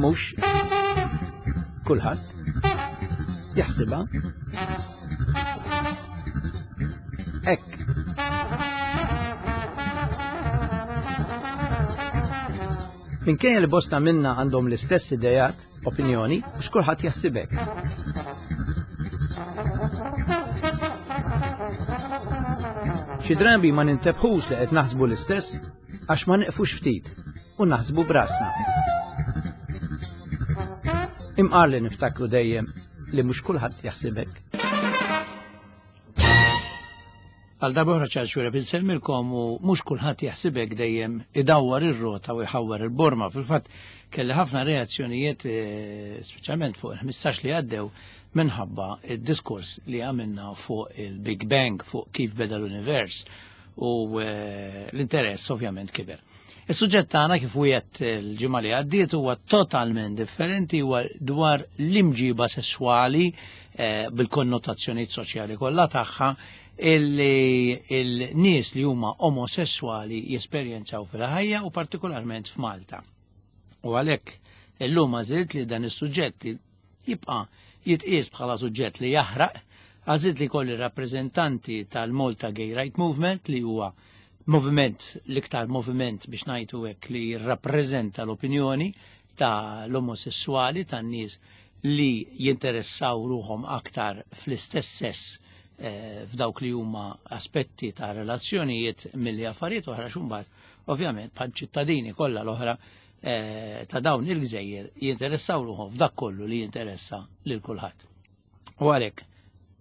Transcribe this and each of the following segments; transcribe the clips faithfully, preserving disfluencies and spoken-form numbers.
Mhux kulħadd jaħsibha hekk. Minkejja li bosta minna għandhom l-istess idejat, opinjoni, mhux kulħadd jaħsib hekk. Xi drabi ma nintebħux li qed naħsbu l-istess għax ma neqfux ftit u naħsbu brasna. Imqar li niftakru dejjem li mhux kulħadd jaħsib hekk. Għal darba ċar xwira insellmilkom u mhux kulħadd jaħsibek dejjem idawwar ir-rota u jħawwar il-borma. Fil-fatt kelli ħafna reazzjonijiet eh, speċjalment fuq il-ħmistax li għaddew minħabba id-diskors li għamilna fuq il-Big Bang, fuq kif beda l-univers u eh, l-interess ovvjament kiber. Is-suġġett tagħna kif wieħed il-ġimgħa li għaddiet huwa totalment differenti, huwa dwar l-imġiba sesswali eh, bil-konnotazzjonijiet soċjali kollha tagħha illi il-nies li huma omosessuali jesperjenzaw fil-ħajja u partikolarment f'Malta. U għalhekk illum għażilt li dan is-suġġett jibqa' jitqies bħala suġġett li jaħraq, għażilt li kolli rappreżentanti tal-Malta Gay Right Movement li huwa moviment, l-iktar moviment biex ngħidu hekk li jirrappreżenta l-opinjoni tal-omosessuali, tan-nies li jinteressaw ruħhom aktar fl-istess sess eh, f'dawk li huma aspetti ta' relazzjonijiet milli affarijiet oħra xumbat, ovvjament bħal ċittadini kollha l-oħra eh, ta' dawn il-gżejjer jinteressaw ruħhom f'dak kollu li jinteressa lil kulħadd. U għalhekk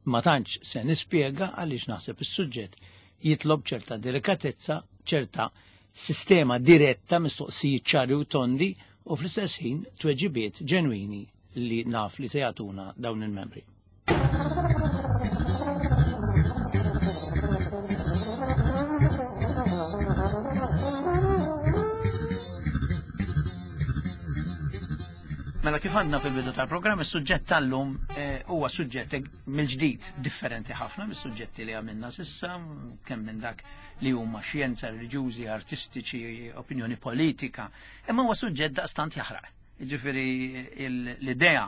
ma tantx se nispjega għaliex naħseb is-suġġett jitlob ċerta delikatezza, ċerta sistema diretta, mistoqsijiet ċari u tondi u fl-istess ħin tweġibiet ġenwini li naf li se jagħtuna dawn il-membri. Mela kif għandna fil-bidu tal-programm, is-suġġett tal-lum eh, huwa suġġett mill-ġdid differenti ħafna mis-suġġetti li għamilna sissa, kemm minn dak li huma xjenza, reliġjużi, artistiċi, opinjoni politika, imma huwa suġġett daqstant jaħraq. Jiġifieri l-idea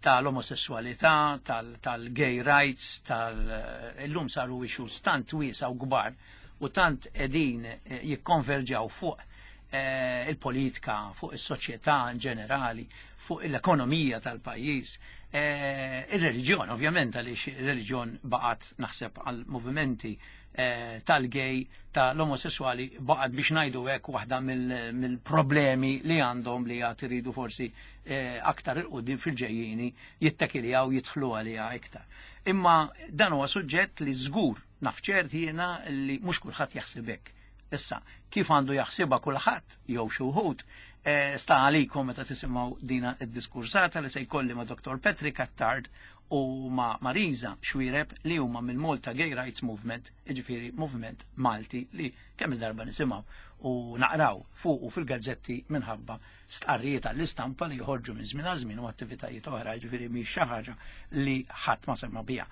tal-omosessualità, tal-gay rights, tal-illum saru issues tant wiesa u kbar u tant qegħdin eh, jikkonverġaw fuq eh, il-politika, fuq is-soċjetà in ġenerali, fuq l-ekonomija tal-pajjiż, eh, ir-reliġjon ovvjament għaliex ir-reliġjon baqgħet naħseb għal movimenti eh, tal-gay, tal-omosessuali baqgħet biex ngħidu hekk waħda mill-problemi li għandhom li għad iridu forsi eh, aktar il-qudiem fil-ġejjieni jittakiljaw jidħlu għaliha iktar. Imma dan huwa suġġett li żgur naf ċert jiena li mhux kulħadd jaħseb hekk. Issa, kif għandu jaħsibha kulħadd jew xi wħud, eh, sta għalikom meta tisimgħu dina id-diskursata li se jkolli ma' Doktor Patrick Attard u ma' Marisa Xuereb li huma mill-Malta Gay Rights Movement, jiġifieri moviment Malti li kemm il-darba nisimgħu u naqraw fuq u fil-gazzetti minħabba stqarrijiet għall-istampa li joħorġu minn żmien għal żmien u attivitajiet oħra, jiġifieri mhix xi ħaġa li ħadd ma semma biha.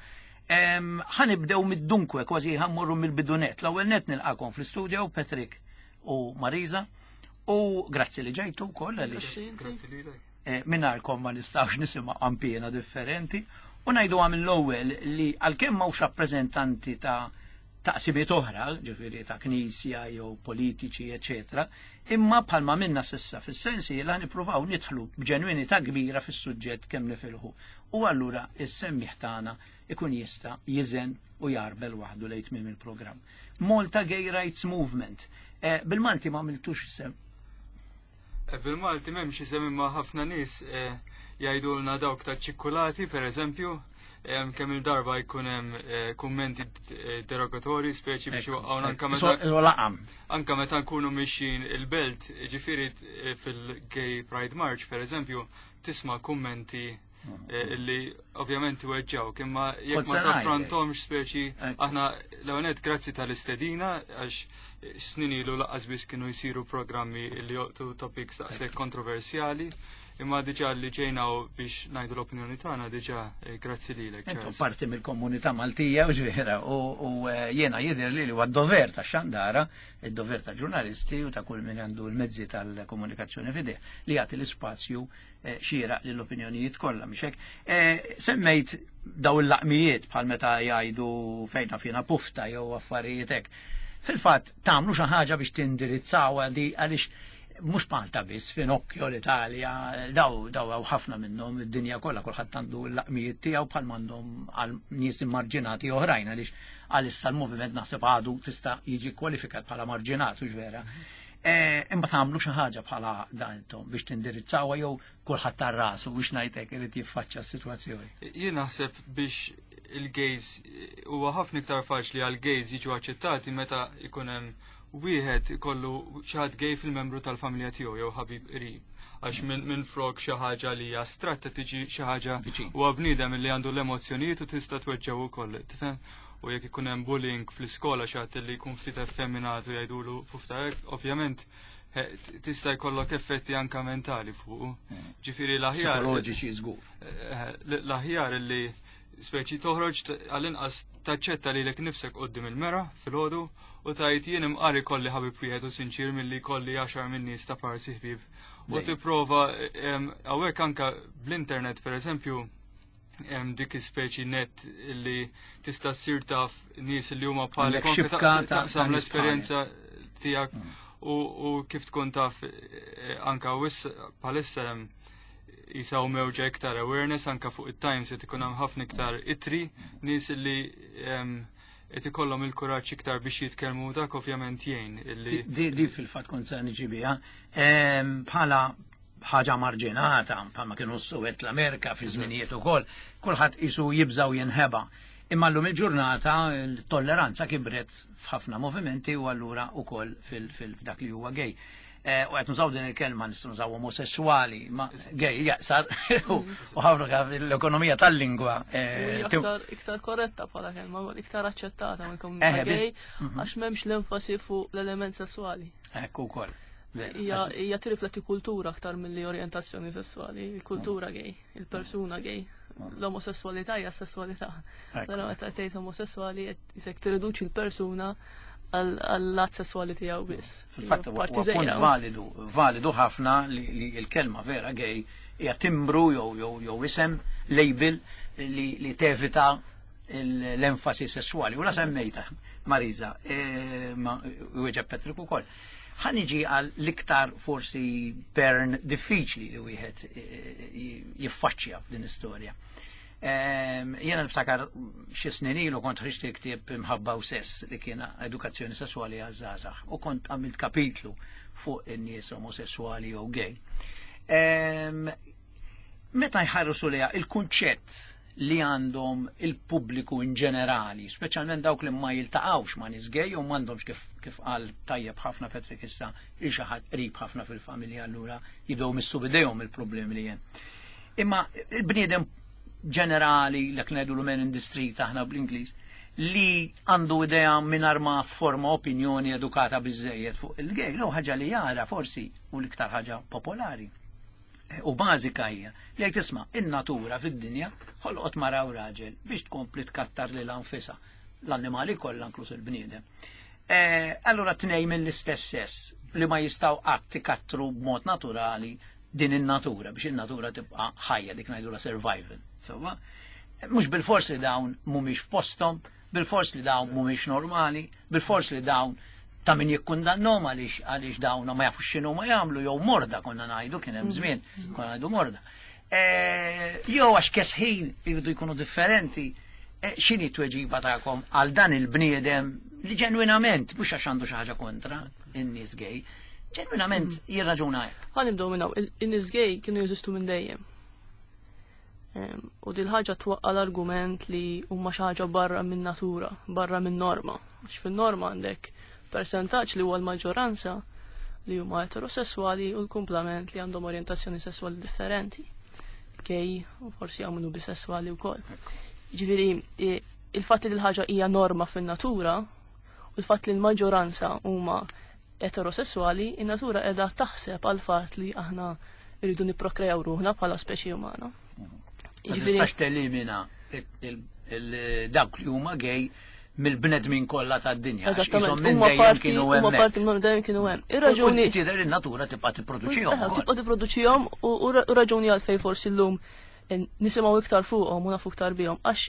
Ħanibdew mid-dunkwe, kważi ħammurru mill-bidunet. L-ewwel net nilqakom fl-istudio Patrick u Marisa u grazzi li ġejtu wkoll għaliex Grazzi lilek. Eh, mingħajrkom ma nistgħux nisimgħu qampiena differenti. U ngħidu għam l-ewwel li għalkemm m'hawnx rappreżentanti ta' taqsimiet oħra, ġifieri ta' knisja jew politiċi, eċetera, imma bħalma minna sissa fis-sensi li nippruvaw nidħlu b'ġenwinità kbira fis-suġġett kemm nifilħu. U allura is-semmiħ tagħna ikun jista' jiżen u jarbel waħdu lejn tmiem il-programm. Malta Gay Rights Movement. Eh, bil-Malti ma għamiltux isem. Eh, bil-Malti m'hemmx isem imma ħafna nies, eh, jgħidulna dawk ta' ċikkulati, per eżempju, em, kemm il-darba jkun hemm, eh, kummenti d-, derogatorji, speċi biex Ekku, waqgħuna anka ekku. meta So, laqam. Anka meta nkunu mixjin il-belt, ġifieri, eh, fil-Gay Pride March, per eżempju, tisma' kummenti eh, li ovvjament weġġawk, imma jekk Kont ma se ngħidlek. taffrontomx speċi, Ekku. aħna l-ewwel grazzi tal-istedina, għax snin ilu laqqas biss kienu jsiru programmi li joqtu topics daqshekk kontroversjali. Imma diġà li ġejna biex ngħidu l-opinjoni tagħna diġà eh, grazzi lilek. Intom parti mill-komunità Maltija u ġvera u jiena jidher li huwa d-dover ta' xandara, id-dover ta' ġurnalisti u ta' kull min għandu l-mezzi tal-komunikazzjoni f'idejh li jagħti l-ispazju eh, xieraq lill-opinjonijiet kollha mhux hekk. Eh, semmejt daw il-laqmijiet bħal meta jgħidu fejna fina pufta jew affarijiet hekk. Fil-fatt tagħmlu xi ħaġa biex tindirizzawha di għaliex mhux Malta biss, Finocchio, l-Italja, daw daw hawn ħafna minnhom id-dinja kollha kulħadd għandu l-laqmijiet tiegħu bħal m'għandhom għal nies immarġinati oħrajn għaliex għalissa l-moviment naħseb għadu tista' jiġi kwalifikat bħala marġinat u vera. Imma tagħmlu xi ħaġa bħala dan intom biex tindirizzawha jew kulħadd tar-rasu biex ngħidlek irid jiffaċċja s-sitwazzjoni. Jien naħseb biex il-gays huwa ħafna iktar faċli għal gays jiġu aċċettati meta jkun hemm wieħed ikollu xi ħadd gay fil-membru tal-familja tiegħu jew ħabib qrib. Għax minn min flok xi ħaġa li hija astratta tiġi xi ħaġa huwa bniedem li għandu l-emozzjonijiet u tista' tweġġew ukoll, tifhem? U jekk ikun hemm bullying fl-iskola xi ħadd li jkun ftit effeminat u jgħidulu pufta hekk, ovvjament tista' jkollok effetti anka mentali fuq. Ġifieri l-aħjar. Psikoloġiċi żgur. L-aħjar li speċi toħroġ għall-inqas taċċetta lilek nifsek quddiem il-mera filgħodu u tajt jien imqari kolli ħabib wieħed u sinċir milli kolli għaxar minn nies ta' parsi ħbieb. U tipprova hawnhekk anka bl-internet pereżempju hemm dik ispeċi net li tista' ssir taf nies li huma bħalek taqsam l-esperjenza tiegħek u kif tkun taf anka bħalissa hemm jisaw mewġa iktar awareness anka fuq it-Times qed ikun hemm ħafna iktar itri nies li qed ikollhom il-kuraġġ iktar biex jitkellmu dak ovvjament jgħin illi Di fil-fatt kont se niġi biha bħala ħaġa marġinata bħalma kienu s-Suwed l-Amerika fi żminijiet ukoll, kulħadd isu jibżaw jinħeba. Imma llum il-ġurnata l-tolleranza kibret f'ħafna movimenti u allura ukoll fil-dak li huwa gay. U qed nużaw din il-kelma nistgħu nużaw omosessuali, ma gay jaqsar u ħafna l-ekonomija tal-lingwa. Iktar korretta bħala kelma, iktar aċċettata mill-komunità gay għax m'hemmx l-enfasi fuq l-element sessuali. Ekku wkoll. Hija tirrifletti kultura aktar milli orjentazzjoni sessuali, il-kultura gay, il-persuna gay. L-omosessualità hija sessualità. Però meta tgħid omosessuali qed tirriduċi l-persuna għall-att sessuali tiegħu biss. Fil-fatt huwa punt validu, validu ħafna li l-kelma vera gay hija timbru jew jew isem label li tevita l-enfasi sessuali. U la semmejta Marisa, ma wieġeb Patrick ukoll. Ħa niġi għal l-iktar forsi pern diffiċli li wieħed jiffaċċja f'din istorja. Jiena niftakar xi snin ilu kont ħriġt il-ktieb Imħabba u Sess li kien edukazzjoni sessuali għaż-żgħażagħ u kont għamilt kapitlu fuq in-nies omosessuali jew gay. Meta jħarsu lejha il-kunċett li għandhom il-pubbliku in ġenerali, speċjalment dawk li ma jiltaqgħux ma' nies gay u m'għandhomx kif kif qal tajjeb ħafna Patrick issa il xi ħadd qrib ħafna fil-familja allura jibdew missu bidejhom il-problemi li hemm. Imma il-bniedem ġenerali, l ngħidu l-man in the street aħna bl-Ingliż, li għandu idea mingħajr ma forma opinjoni edukata biżejjed fuq il-gay, l ħaġa li jara forsi u l-iktar ħaġa popolari u bażika hija li jekk tisma' in-natura fid-dinja ħolqot mara u raġel biex tkompli tkattar lil anfisha l-annimali kollha inkluż il-bniedem. Allura tnej mill-istess sess li ma jistgħu qatt ikattru b'mod naturali din in-natura biex in-natura tibqa' ħajja dik ngħidu la survival. Sewwa, mhux bil-fors li dawn mhumiex f'posthom, bil-fors li dawn mhumiex normali, bil-fors li dawn ta' min jikkundannhom għaliex għaliex dawn ma jafux x'inhu ma jagħmlu jew morda konna ngħidu kien hemm żmien konna ngħidu morda. Jew għax kesħin jridu jkunu differenti, x'inhi t-tweġiba tagħkom għal dan il-bniedem li ġenwinament mhux għax għandu xi ħaġa kontra in-nies gay, ġenwinament jirraġuna hekk. Ħa nibdew minn hawn, in-nies gay kienu jeżistu minn dejjem. U dil ħaġa twaqqa l-argument li huma xi ħaġa barra minn natura, barra minn norma. Għax fin-norma għandek persentaġġ li huwa l-maġġoranza li huma eterosessuali u l-kumplament li għandhom orjentazzjoni sessuali differenti. Gay u forsi għamlu bisessuali wkoll. Ġifieri il-fatt li l-ħaġa hija norma fin-natura u l-fatt li l-maġġoranza huma eterosessuali, in-natura qiegħda taħseb għal fatt li aħna irridu nipprokrejaw ruħna bħala speċi umana. Ma tistax telimina dawk li huma gay mill-bnedmin kollha tad-dinja. Eżattament, huma parti huma parti minn dejjem kienu hemm. Ir-raġuni tidher in-natura tibqa' tipproduċihom. Tibqa' tipproduċihom u raġuni għalfejn forsi llum nisimgħu iktar fuqhom u nafu iktar bihom għax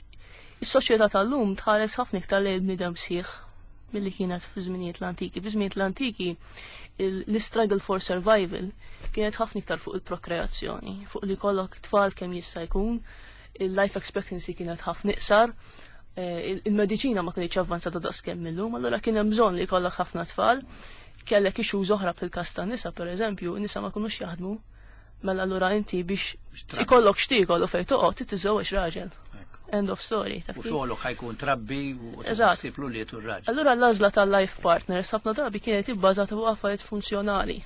is-soċjetà tal-lum tħares ħafna iktar lejn bniedem sħiħ milli kienet fi żminijiet l-antiki. Fi żminijiet l-antiki l-struggle for survival kienet ħafna iktar fuq il-prokreazzjoni, fuq li kollok tfal kemm jista' jkun, il-life expectancy kienet ħafna iqsar, il-mediċina ma kienx avvanzata daqskemm illum, allura kien hemm bżonn li jkollok ħafna tfal, kellek issues oħra fil-każ tan-nisa pereżempju, nisa ma kinux jaħdmu, mela allura inti biex ikollok x'tiekol u fejn toqgħod titiżewweġ raġel. End of story. U xogħolok ħajkun trabbi u ssib l-ulied u r-raġel. Allura l-għażla tal-life partners ħafna drabi kienet ibbażata fuq affarijiet funzjonali.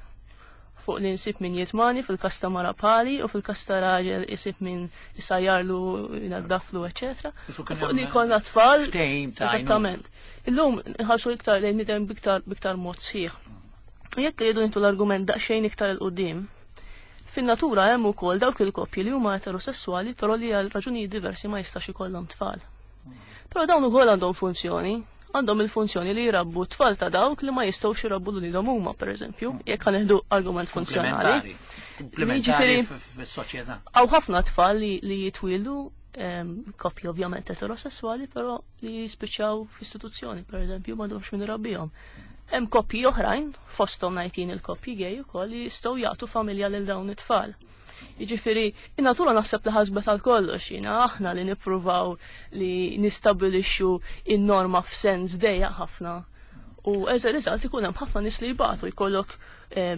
Fuq li nsib min jitmani fil-każ ta' mara bħali u fil-każ ta' raġel isib min isajjarlu, jnaddaflu, eċetera. Fuq li jkollna tfal. Eżattament. Illum nħarsu iktar lejn nidem biktar biktar mod sħiħ. Jekk jridu nintu l-argument daqsxejn iktar 'il quddiem, fin-natura hemm ukoll dawk il-koppji li huma eterosessuali però li għal raġunijiet diversi ma jistax ikollhom tfal. Però dawn ukoll għandhom funzjoni, għandhom il-funzjoni li jrabbu tfal ta' dawk li ma jistgħux jrabbu lilhom huma pereżempju, jekk ħaneħdu argument funzjonali. Komplementari fis-soċjetà. Hawn ħafna tfal li, li jitwieldu koppji ovvjament eterosessuali, però li jispiċċaw f'istituzzjoni pereżempju m'għandhomx min irabbihom. Hemm koppji oħrajn, fosthom ngħid il-koppji gay ukoll li jistgħu jagħtu familja lil dawn it-tfal. Jiġifieri, in-natura naħseb li ħasbet għal kollox, jiena aħna li nippruvaw li nistabilixxu in-norma f'sens dejjaq ħafna. U as a result ikun hemm ħafna nies li jbatu, jkollok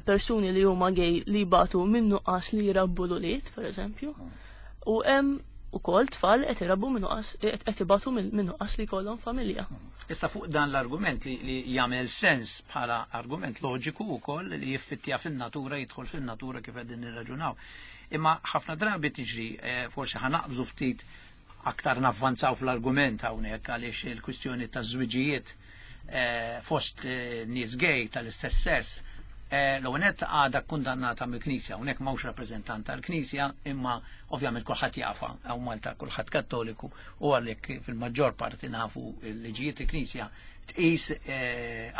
persuni li huma gay li jbatu minn nuqqas li jrabbu l-ulied, pereżempju. U hemm ukoll tfal qed irabbu minn nuqqas, qed ibatu minn nuqqas li jkollhom familja. Issa fuq dan l-argument li, li jagħmel sens bħala argument loġiku wkoll li jiffittja fin-natura, jidħol fin-natura kif qegħdin nirraġunaw. Imma ħafna drabi tiġri, forsi ħanaqbżu ftit aktar navvanzaw fl-argument hawnhekk għaliex il-kwistjoni taż-żwiġijiet fost nies gay tal-istess sess l-għonet għadha kundannata mill-Knisja, hawnhekk m'hawnx rappreżentant tal-Knisja, imma ovvjament kulħadd jafa, hawn Malta kulħadd Kattoliku, u għalhekk fil-maġġor parti nafu l-liġijiet il-Knisja tqis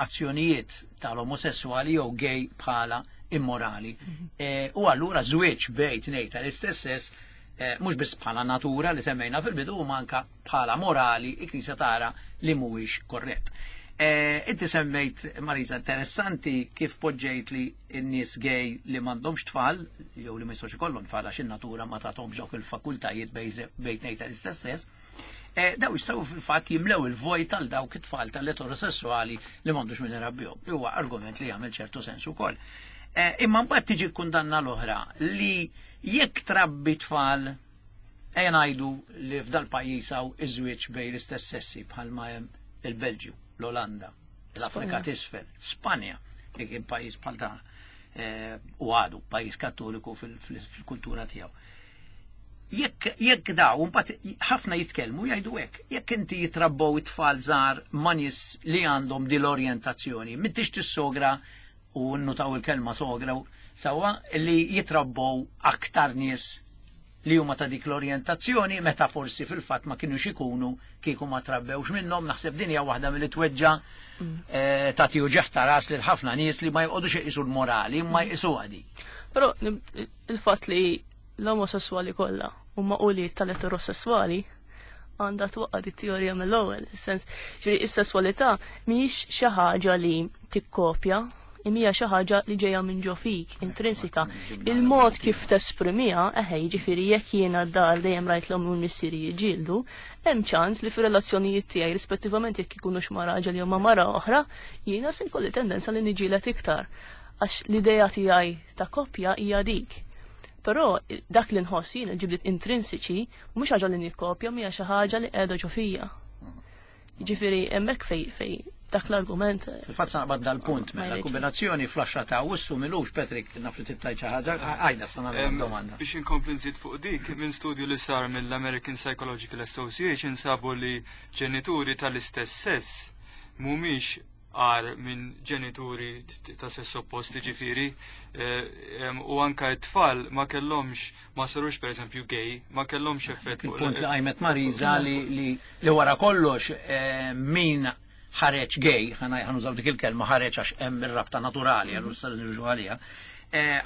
azzjonijiet tal-omosessuali jew gay bħala immorali. U allura żwieġ bejn tnejn tal-istess sess mhux biss bħala natura li semmejna fil-bidu, u manka bħala morali il-Knisja tara li mhuwiex korrett. Inti semmejt, Marisa, interessanti kif poġġejt li n-nies gay li m'għandhomx tfal, jew li ma jistgħux ikollhom tfal għax in-natura ma tagħthomx dawk il-fakultajiet bejn tnejn tal-istess sess, daw jistgħu fil-fatt jimlew il-vojt tal dawk it-tfal tal-eterosessuali li m'għandux min irabbihom. Li huwa argument li jagħmel ċertu sens ukoll. Imma mbagħad tiġi kundanna l-oħra li jekk trabbi tfal, ejja ngħidu li f'dal pajjiż hawn iż-żwieġ bejn l-istess sessi bħalma hemm il-Belġju, l-Olanda, l-Afrika t'isfel, Spanja, li kien pajjiż bħal dan u għadu pajjiż Kattoliku fil-kultura tiegħu. Jekk jekk daw, mbagħad ħafna jitkellmu jgħidu hekk, jekk inti jitrabbew it-tfal żgħar ma' nies li għandhom din l-orjentazzjoni, m'intix tissogra, u nnutaw il-kelma sogra, sewwa li jitrabbew aktar nies li huma ta' dik l-orjentazzjoni meta forsi fil-fatt ma kinux ikunu kieku ma trabbewx minnhom. Naħseb din hija waħda milli tweġġa tagħti uġigħ ta' ras lil ħafna nies li ma jqogħdux iqisu l-morali, ma jqisuha di. Però il-fatt li l-omosessuali kollha huma ulied tal-eterosessuali għandha twaqqa' di teorija mill-ewwel, is-sens, ġifieri is-sesswalità mhijiex xi ħaġa li tikkopja, imma xi ħaġa li ġejja minn ġo fik, intrinsika. Il-mod kif tesprimiha, eħe, jiġifieri jekk jiena d-dar dejjem rajt l-omm u l-missieri jiġġieldu, hemm ċans li fir-relazzjonijiet tiegħi rispettivament jekk ikunux ma' raġel jew ma' mara oħra, jiena se jkolli tendenza li niġġieled iktar. Għax l-idea tiegħi ta' koppja hija dik. Però dak li nħoss jien il-ġibliet intrinsiċi mhux ħaġa li nikkopja, mhija xi ħaġa li qiegħda ġo fija. Jiġifieri hemmhekk fej fej dak l-argument. Fil-fatt sa naqbad dal-punt, mela kombinazzjoni fl-għaxra ta' Awwissu milux, Patrick, naf li tittajt xi ħaġa, għajda sa nagħmel domanda. Biex inkompli nżid fuq dik, minn studju li sar mill-American Psychological Association sabu li ġenituri tal-istess sess mhumiex għar minn ġenituri ta' sess oppost, ġifieri, u anka t-tfal ma kellhomx, ma sarux pereżempju gay, ma kellhomx effett. Il-punt li qajmet Marisa li li wara kollox min ħareġ gay, ħanużaw dik il-kelma ħareġ għax hemm ir-rabta naturali, allura sa nirġu għaliha,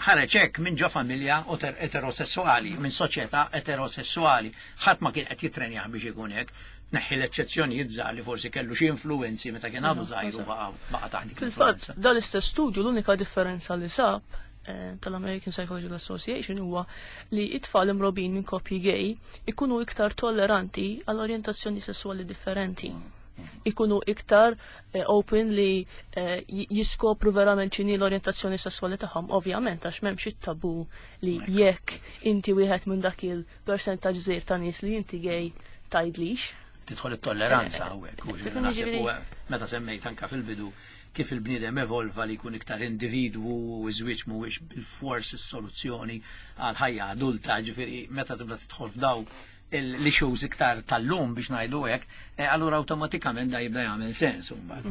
ħareġ hekk minn ġo familja eterosessuali, minn soċjetà eterosessuali, ħadd ma kien qed jitrenjah biex ikun hekk. Neħħi l-eċċezzjonijiet żgħar li forsi kellu xi influenzi meta kien għadu żgħir u baqa' taħt dik. Fil-fatt, dan l-istess studju l-unika differenza li sab tal-American Psychological Association huwa li it-tfal imrobin minn koppji gay ikunu iktar tolleranti għall orjentazzjoni sessuali differenti. Ikunu iktar open li jiskopru verament x'inhi l-orjentazzjoni sessuali tagħhom, ovvjament għax m'hemmx it-tabu li jekk inti wieħed minn dak il-persentaġġ żgħir ta' nies li inti gay tgħidlix. Tidħol it-tolleranza hawnhekk. Meta semmejt anka fil-bidu kif il-bniedem evolva li jkun iktar individwu u żwieġ mhuwiex bil-fors is-soluzzjoni għal ħajja adulta, ġifieri meta tibda tidħol f'daw l-issues iktar tal-lum biex ngħidu hekk, allura awtomatikament da jibda jagħmel sens imbagħad.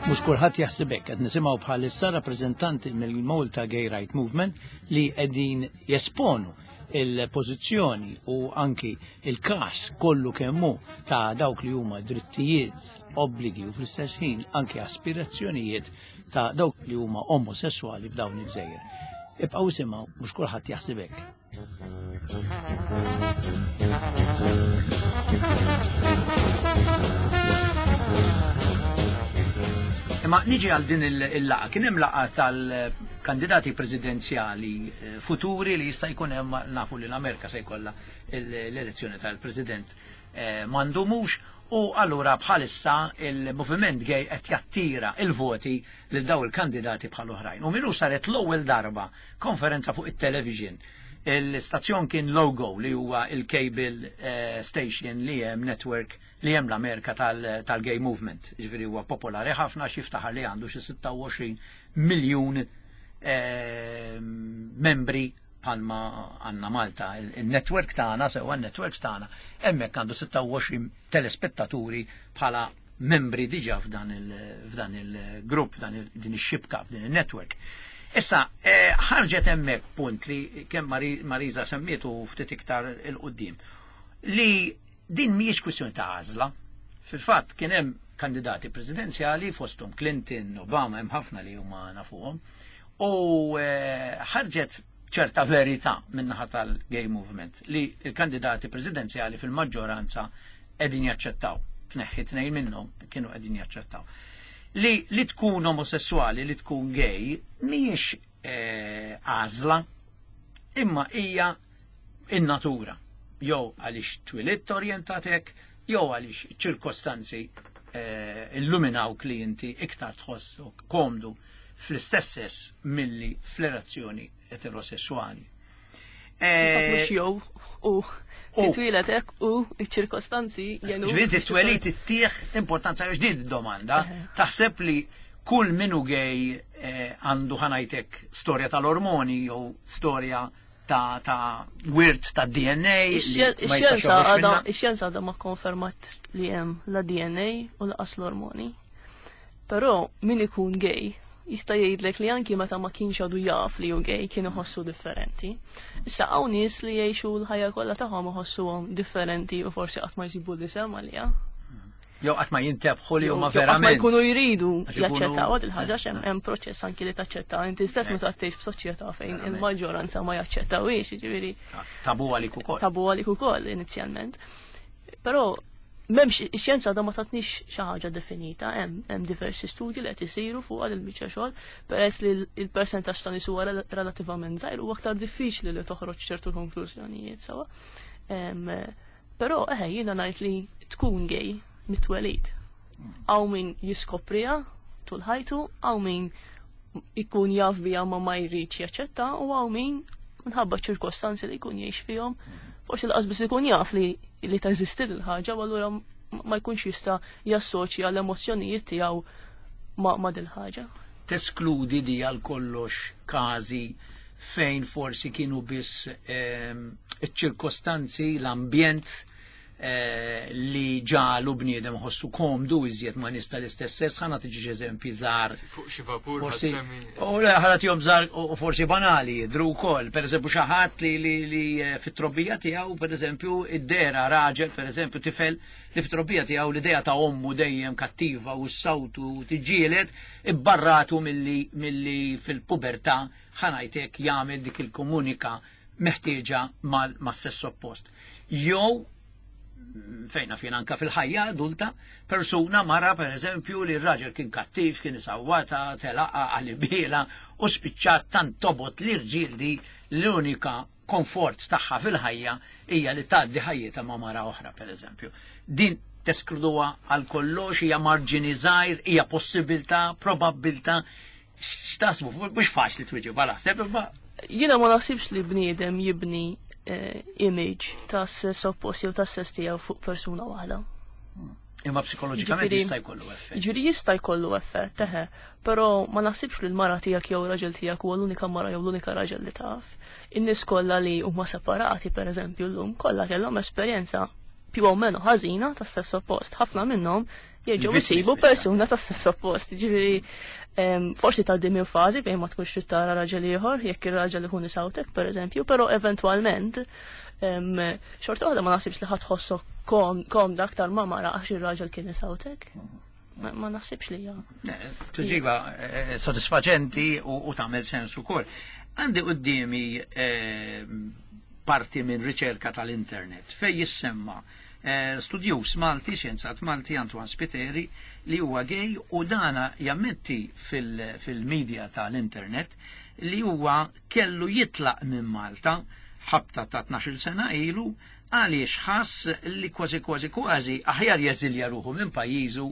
Mhux kulħadd jaħseb hekk, qed nisimgħu bħalissa rappreżentanti mill-Malta Gay Right Movement li qegħdin jesponu il-pożizzjoni u anki il-każ kollu kemm hu ta' dawk li huma drittijiet, obbligi u fl-istess ħin anki aspirazzjonijiet ta' dawk li huma omosessuali f'dawn il-gżejjer. Ibqgħu isimgħu, mhux kulħadd jaħseb hekk. Ma niġi għal din il-laqa, kien hemm laqa tal-kandidati presidenzjali futuri li jista' jkun hemm, nafu li l-Amerika se jkollha l-elezzjoni tal-President m'għandhomux, u allura bħalissa il-moviment gay qed jattira il-voti lil daw il-kandidati bħal oħrajn. U minnu saret l-ewwel darba konferenza fuq it-television. Il-stazzjon kien Logo li huwa il-cable station li hemm network li hemm l-Amerika tal-gay movement. Ġifieri huwa popolari ħafna, xi ftaħar li għandu xi sitta u għoxrin miljun membri bħalma għandna Malta. Il-network tagħna, sewwa n-networks tagħna, hemmhekk għandu sitta u għoxrin telespettaturi bħala membri diġà f'dan il-grupp, f'dan din ix-xibka, f'din il-network. Issa, ħarġet hemmhekk punt li kemm Marisa semmietu ftit iktar il-qudiem, li din mhijiex kwistjoni ta' għażla. Fil-fatt kien hemm kandidati presidenzjali fosthom Clinton, Obama, hemm ħafna li huma nafuhom, u ħarġet ċerta verità min-naħa tal-gay movement li l-kandidati presidenzjali fil-maġġoranza qegħdin jaċċettaw, tneħħi tnejn minnhom kienu qegħdin jaċċettaw. Li, li tkun omosessuali, li tkun gay, mhijiex għażla, imma hija in-natura. Jew għaliex twilidt orjentatek, jew għaliex ċirkostanzi illuminawk li inti iktar tħossok komdu fl-istess sess milli fl-relazzjoni eterosessuali. Mhux jew u titwilet hekk u ċ-ċirkostanzi jenu. Ġifieri titwielid ittieħ importanza għax din id-domanda. Taħseb li kull minu gay għandu ħanajtek storja tal-ormoni jew storja ta' ta' wirt ta' D N A. Ix-xjenza għadha ma konfermat li hemm la D N A u laqas l-ormoni. Però min ikun gay jista' jgħidlek li anki meta ma kienx għadu jaf li hu gay kien iħossu differenti. Issa hawn nies li jgħixu l-ħajja kollha tagħhom iħossuhom differenti u forsi qatt ma jsibu l-isem għaliha. Jew qatt ma jintebħu li huma verament. Qatt ma jkunu jridu jaċċettaw il-ħaġa, hemm proċess anki li taċċetta inti stess meta tgħix f'soċjetà fejn il-maġġoranza ma jaċċettawhiex, jiġifieri. Tabu għalik ukoll. Tabu għalik ukoll inizjalment. Però m'hemmx ix-xjenza għadha ma tatniex xi ħaġa definita, hemm hemm diversi studji li qed isiru fuq għal il-biċċa xogħol, peress li l-persentaġġ ta' nies huwa relattivament żgħir huwa aktar diffiċli li toħroġ ċertu konklużjonijiet sewwa. Però eħe jiena ngħid li tkun gay mit-twelid. Hawn min jiskopriha tul ħajtu, hawn min ikun jaf biha ma ma jridx jaċċetta, u hawn min minħabba ċirkostanzi li jkun jgħix fihom Forsi lanqas biss ikun jaf li li teżisti l-ħaġa, u allura ma jkunx jista' jassoċja l-emozzjonijiet tiegħu ma' ma' dil-ħaġa. Teskludi di għal kollox każi fejn forsi kienu biss ehm, iċ-ċirkostanzi, l-ambjent eh, li ġagħlu bniedem ħossu komdu iżjed ma' nies tal-istess sess, ħa nagħti eżempji żgħar. Fuq xi vapur Forsi, ħassemmi. u le, ħa nagħtihom żgħar u forsi banali, jidhru wkoll. Per eżempju, xi ħadd li, li, li eh, fit-trobbija tiegħu, per eżempju, id-dera raġel, per eżempju, tifel li fit-trobbija tiegħu l-idea ta' ommu dejjem kattiva u s-sawtu tiġġieled, ibbarratu milli, milli fil-pubertà ħa ngħidlek jagħmel dik il-komunika meħtieġa mal-sess oppost. Jew fejna fejn anka fil-ħajja adulta, persuna mara per eżempju li r-raġel kien kattiv, kien isawwata, telaqa, għalibila u spiċċat tant tobgħod li rġiel di l-unika komfort tagħha fil-ħajja hija li tgħaddi ħajjitha ma' mara oħra per eżempju. Din teskluduha għal kollox, hija marġini żgħir, hija possibilità, probabbiltà, x'taħsbu, mhux faċli twieġeb naħseb, imma Jiena ma naħsibx li bniedem jibni eh, image ta' sess oppost jew ta' sess tiegħu fuq persuna waħda. Imma psikoloġikament Ġifieri- jista' jkollu effett. Ġifieri jista' jkollu effett, teħe, però ma naħsibx li l-mara tiegħek jew raġel tiegħek huwa l-unika mara jew l-unika raġel li taf. In-nies kollha li huma separati pereżempju llum kollha kellhom esperjenza più o meno ħażina ta' sess oppost. Ħafna minnhom jerġgħu Il-vittmi jsibu speċjalment. persuna ta' sess oppost. Ġifieri em, forsi tgħaddi minn fażi fejn ma tkunx trid tara raġel ieħor, jekk ir-raġel ikun isawtek pereżempju, però eventwalment em, xorta waħda ma naħsibx li ħadd tħossok kom komda aktar ma mara għax ir-raġel kien isawtek. Ma, ma naħsibx li hija. Tweġiba eh, sodisfaċenti u, u tagħmel sens ukoll. Għandi quddiemi eh, parti minn riċerka tal-internet fej jissemma eh, studjus Malti, xjenzat Malti Antoine Spiteri li huwa gay u dana jammetti fil- fil-media tal-internet li huwa kellu jitlaq minn Malta ħabta ta' tnax-il sena ilu għaliex ħass li kważi kważi kważi aħjar jeżilja ruħu minn pajjiżu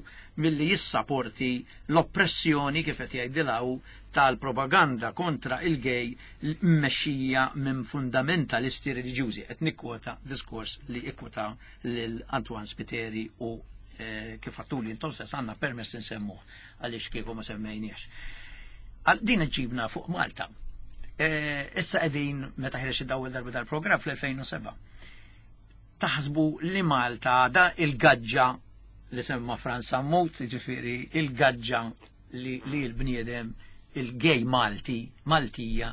milli jissaporti l-oppressjoni kif qed jgħidilhaw tal-propaganda kontra il-gay mmexxija minn fundamentalisti reliġjużi. Qed nikkwota diskors li ikkwota lil Antoine Spiteri u eh, kif għedtuli intom stess għandna permess nsemmuh għaliex kieku ma semmejniex. Għal din ġibna fuq Malta. Eh, Issa qegħdin meta ħareġ id-ewwel darba dal-programm fl-elfejn u sebgħa. Taħsbu li Malta da il-gaġġa li semma Franz Sammut, ġifieri il-gaġġa li, li l-bniedem il-gay Malti, Maltija,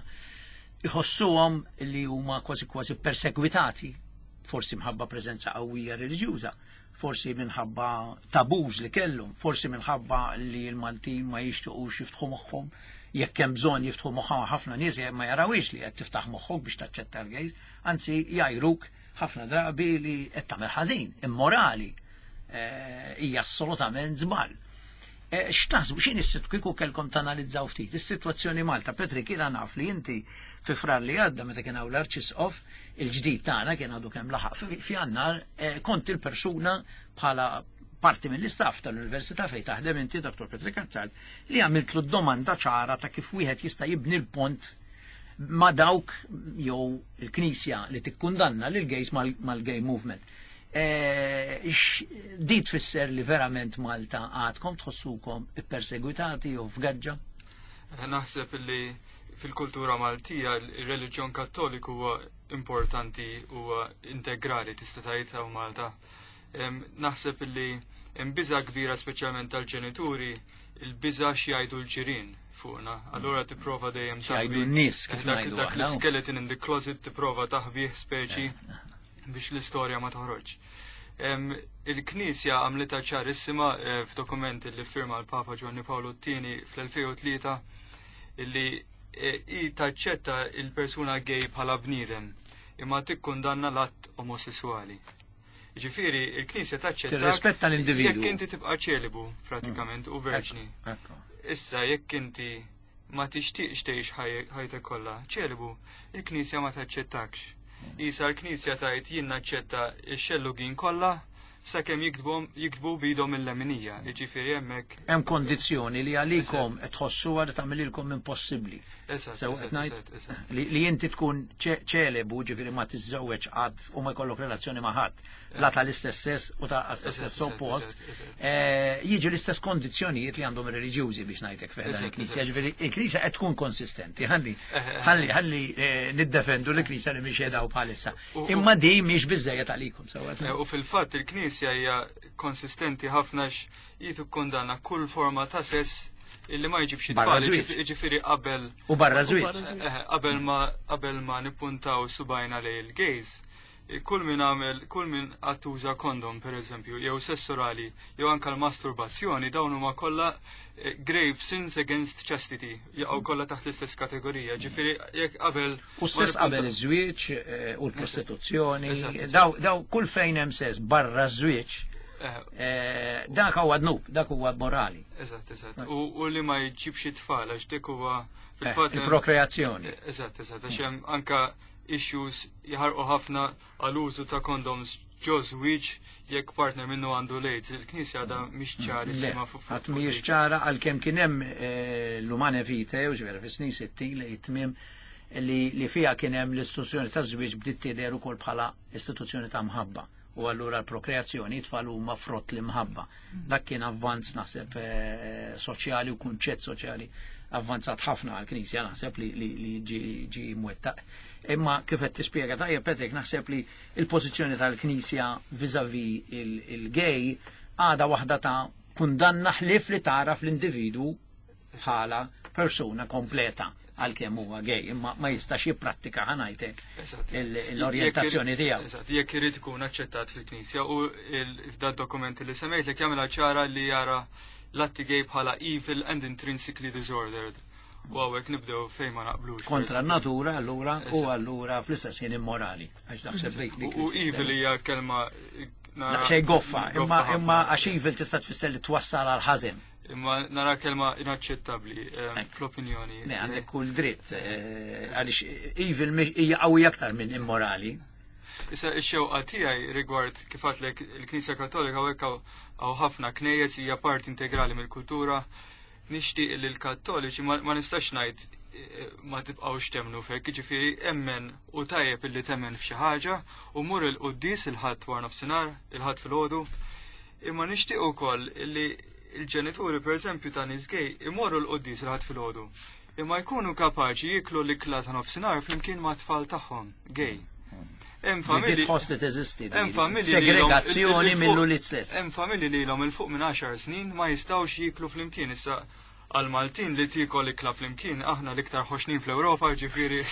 iħossuhom li huma kważi kważi perseguitati, forsi minħabba preżenza qawwija reliġjuża, forsi minħabba tabuż li kellhom, forsi minħabba li l-Maltin ma jixtuqux jiftħu moħħhom, jekk hemm bżonn jiftħu moħħhom. Ħafna nies ma jarawix li qed tiftaħ moħħok biex taċċetta l-gays, anzi jgħajruk ħafna drabi li qed tagħmel ħażin, immorali, eh, hija assolutament żball. Eh, X'taħsbu x'inhi s kieku kellkom tanalizzaw ftit is-sitwazzjoni Malta? Patrick, jiena naf li inti fi Frar li għadda meta kien hawn l-Arċisqof il-ġdid tagħna kien għadu kemm laħaq fi- f'Jannar, eh, kont il-persuna bħala parti mill-istaff tal-Università fejn taħdem inti, Dottor Patrick Attard, li għamiltlu domanda ċara ta' kif wieħed jista' jibni l-pont ma' dawk jew il-Knisja li tikkundanna lil gays mal-gay movement. Eh, x- Di tfisser li verament Malta għadkom tħossukom ippersegwitati jew f'gaġġa? Eh, Naħseb li fil-kultura Maltija il-reliġjon Kattoliku huwa importanti, huwa integrali tista' tgħid hawn Malta. Em, Naħseb li hemm biża kbira speċjalment tal-ġenituri, il-biża x'jgħidu l-ġirien fuqna. Allura tipprova dejjem X'jgħidu taħbi- n-nies, kif Eh, dak- ngħidu Dak aħna. l-skeleton in the closet tipprova taħbih speċi biex l-istorja ma toħroġ. Em, Il-Knisja għamlitha ċarissima eh, f'dokumenti li firma l-Papa Giovanni Paolo two fl-elfejn u tlieta illi eh, i taċċetta il-persuna gay bħala bniedem imma tikkundanna l-att omosessuali. Ġifieri, il-Knisja taċċetta Tirrispetta l-individwu. jekk inti tibqa' ċelibu pratikament u verġni. Ekku. Issa jekk inti ma tixtieqx tgħix ħaj- ħajtek kollha ċelibu, il-Knisja ma taċċettakx. Isa l-Knisja tgħid jien naċċetta x-xellugin kollha sakemm jiktbu jiktbu b'idhom il-leminija. Jiġifieri hemmhekk Hemm kondizzjoni li għalikom qed tħossuha li tagħmililkom impossibbli. Eżatt, Sew eżatt, qed ngħid eżatt, eżatt. li li inti tkun ċe- ċelebu, ġifieri ma tiżżewweġ qatt u ma jkollok relazzjoni ma' ħadd, la tal-istess sess u ta' Eżatt, stess eżatt, oppost, eżatt, eżatt. eh, jiġi l-istess kondizzjonijiet li għandhom ir-reliġjużi biex ngħidlek feħda Eżatt, il-Knisja. eżatt. Ġifieri il-Knisja qed tkun konsistenti. Ħalli Eh, eh, ħalli ħalli eh, niddefendu l-Knisja li mhix qiegħda bħalissa. U- u- Imma di mhix biżejjed għalikom sew qed Eh, U fil-fatt il-Knisja hija konsistenti ħafna xi tikkundanna kull forma ta' sess illi ma jġibx Barra tfal, żwieġ. jiġifieri- jiġifieri qabel U barra U żwieġ. barra żwieġ. eh, qabel ma qabel ma nippuntaw subajna lejn il-gays, eh, kull min għamel, kull min attuża kondom per eżempju, jew sess orali, jew anka l-masturbazzjoni, dawn huma kollha eh, grave sins against chastity, jaqgħu kollha taħt l-istess kategorija. Ġifieri jekk qabel U s-sess ma qabel nippunta- iż-żwieġ eh, u l-prostituzzjoni, Eżatt, eżatt. daw daw kull fejn hemm sess barra ż-żwieġ, Eh, eh, dak huwa dnub, dak huwa morali. Eżatt, eżatt. U, u li ma jġibx it-tfal, għax dik huwa Eh, fil-fatt. Il-prokreazzjoni. Eżatt, eżatt, għax hemm anka issues jaħarqu ħafna għal-użu ta' condoms ġo żwieġ jekk partner minnu għandu l-AIDS. Il-Knisja għadha mhix Le, ċarissima fuq fuq għad mhijiex ċara għalkemm kien hemm eh, l-Humanae Vitae, u ġifieri fis-snin sittin li jitmiem li, li fija kien hemm l-istituzzjoni ta' żwieġ bdiet tidher ukoll bħala istituzzjoni ta' mħabba. U allura l-prokreazzjoni tfal huma frott l-imħabba. Dak kien avvanz naħseb eh, soċjali u kunċett soċjali avvanzat ħafna għal-Knisja naħseb li, li, li ġi, ġi mwettaq. Imma kif qed tispjega tajjeb Patrick, naħseb li il-pożizzjoni tal-Knisja vis-à-vis il-gay għada waħda ta' kundanna ħlif li taraf l-individu bħala persuna kompleta għalkemm huwa gay, imma ma jistax jipprattika, ħa ngħidlek, Eżatt, il- eżatt. l-orjentazzjoni Jekk tiegħu. Eżatt, jekk irid ikun aċċettat fil-Knisja u il- f'da dokumenti li semmejt li jagħmilha ċara li jara l-atti gay bħala evil and intrinsically disordered. U hawnhekk nibdew fejn ma naqblux. Kontra n-natura allura u Eżatt. allura fl-istess ħin immorali. Għax naħseb li U u evil hija kelma nara- Xej goffa, imma ħafna. imma għax evil tista' tfisser li twassal għal ħażen. Imma nara kelma inaċċettabbli eh, Ek. fl-opinjoni. Ne, għandek kull dritt, eh, għaliex evil mhix- hija qawwi aktar minn immorali. Issa ix-xewqa tiegħi rigward kif għedtlek il-Knisja Kattolika hawnhekk hawn hawn ħafna knejjes, hija parti integrali mill-kultura. Nixtieq li l-Kattoliċi ma ma nistax ngħid eh, ma tibqgħux temmnu fek, jiġifieri emmen u tajjeb illi temmen f'xi ħaġa u mur il-quddies il-Ħadd wara nofsinhar, il-Ħadd filgħodu. Imma nixtieq ukoll li il-ġenituri pereżempju ta' nies gay imorru l-quddies il-Ħadd filgħodu. Imma jkunu kapaċi jiklu l-ikla ta' nofsinhar flimkien ma' tfal tagħhom gay. Hemm familji Tħoss li teżisti. Hemm familji li ilhom- Segregazzjoni il- il- mill-ulied stess. Hemm familji li ilhom 'il fuq minn għaxar snin ma jistgħux jiklu flimkien. Issa għal Maltin li tiekol ikla flimkien aħna l-iktar ħoxnin fl-Ewropa, ġifieri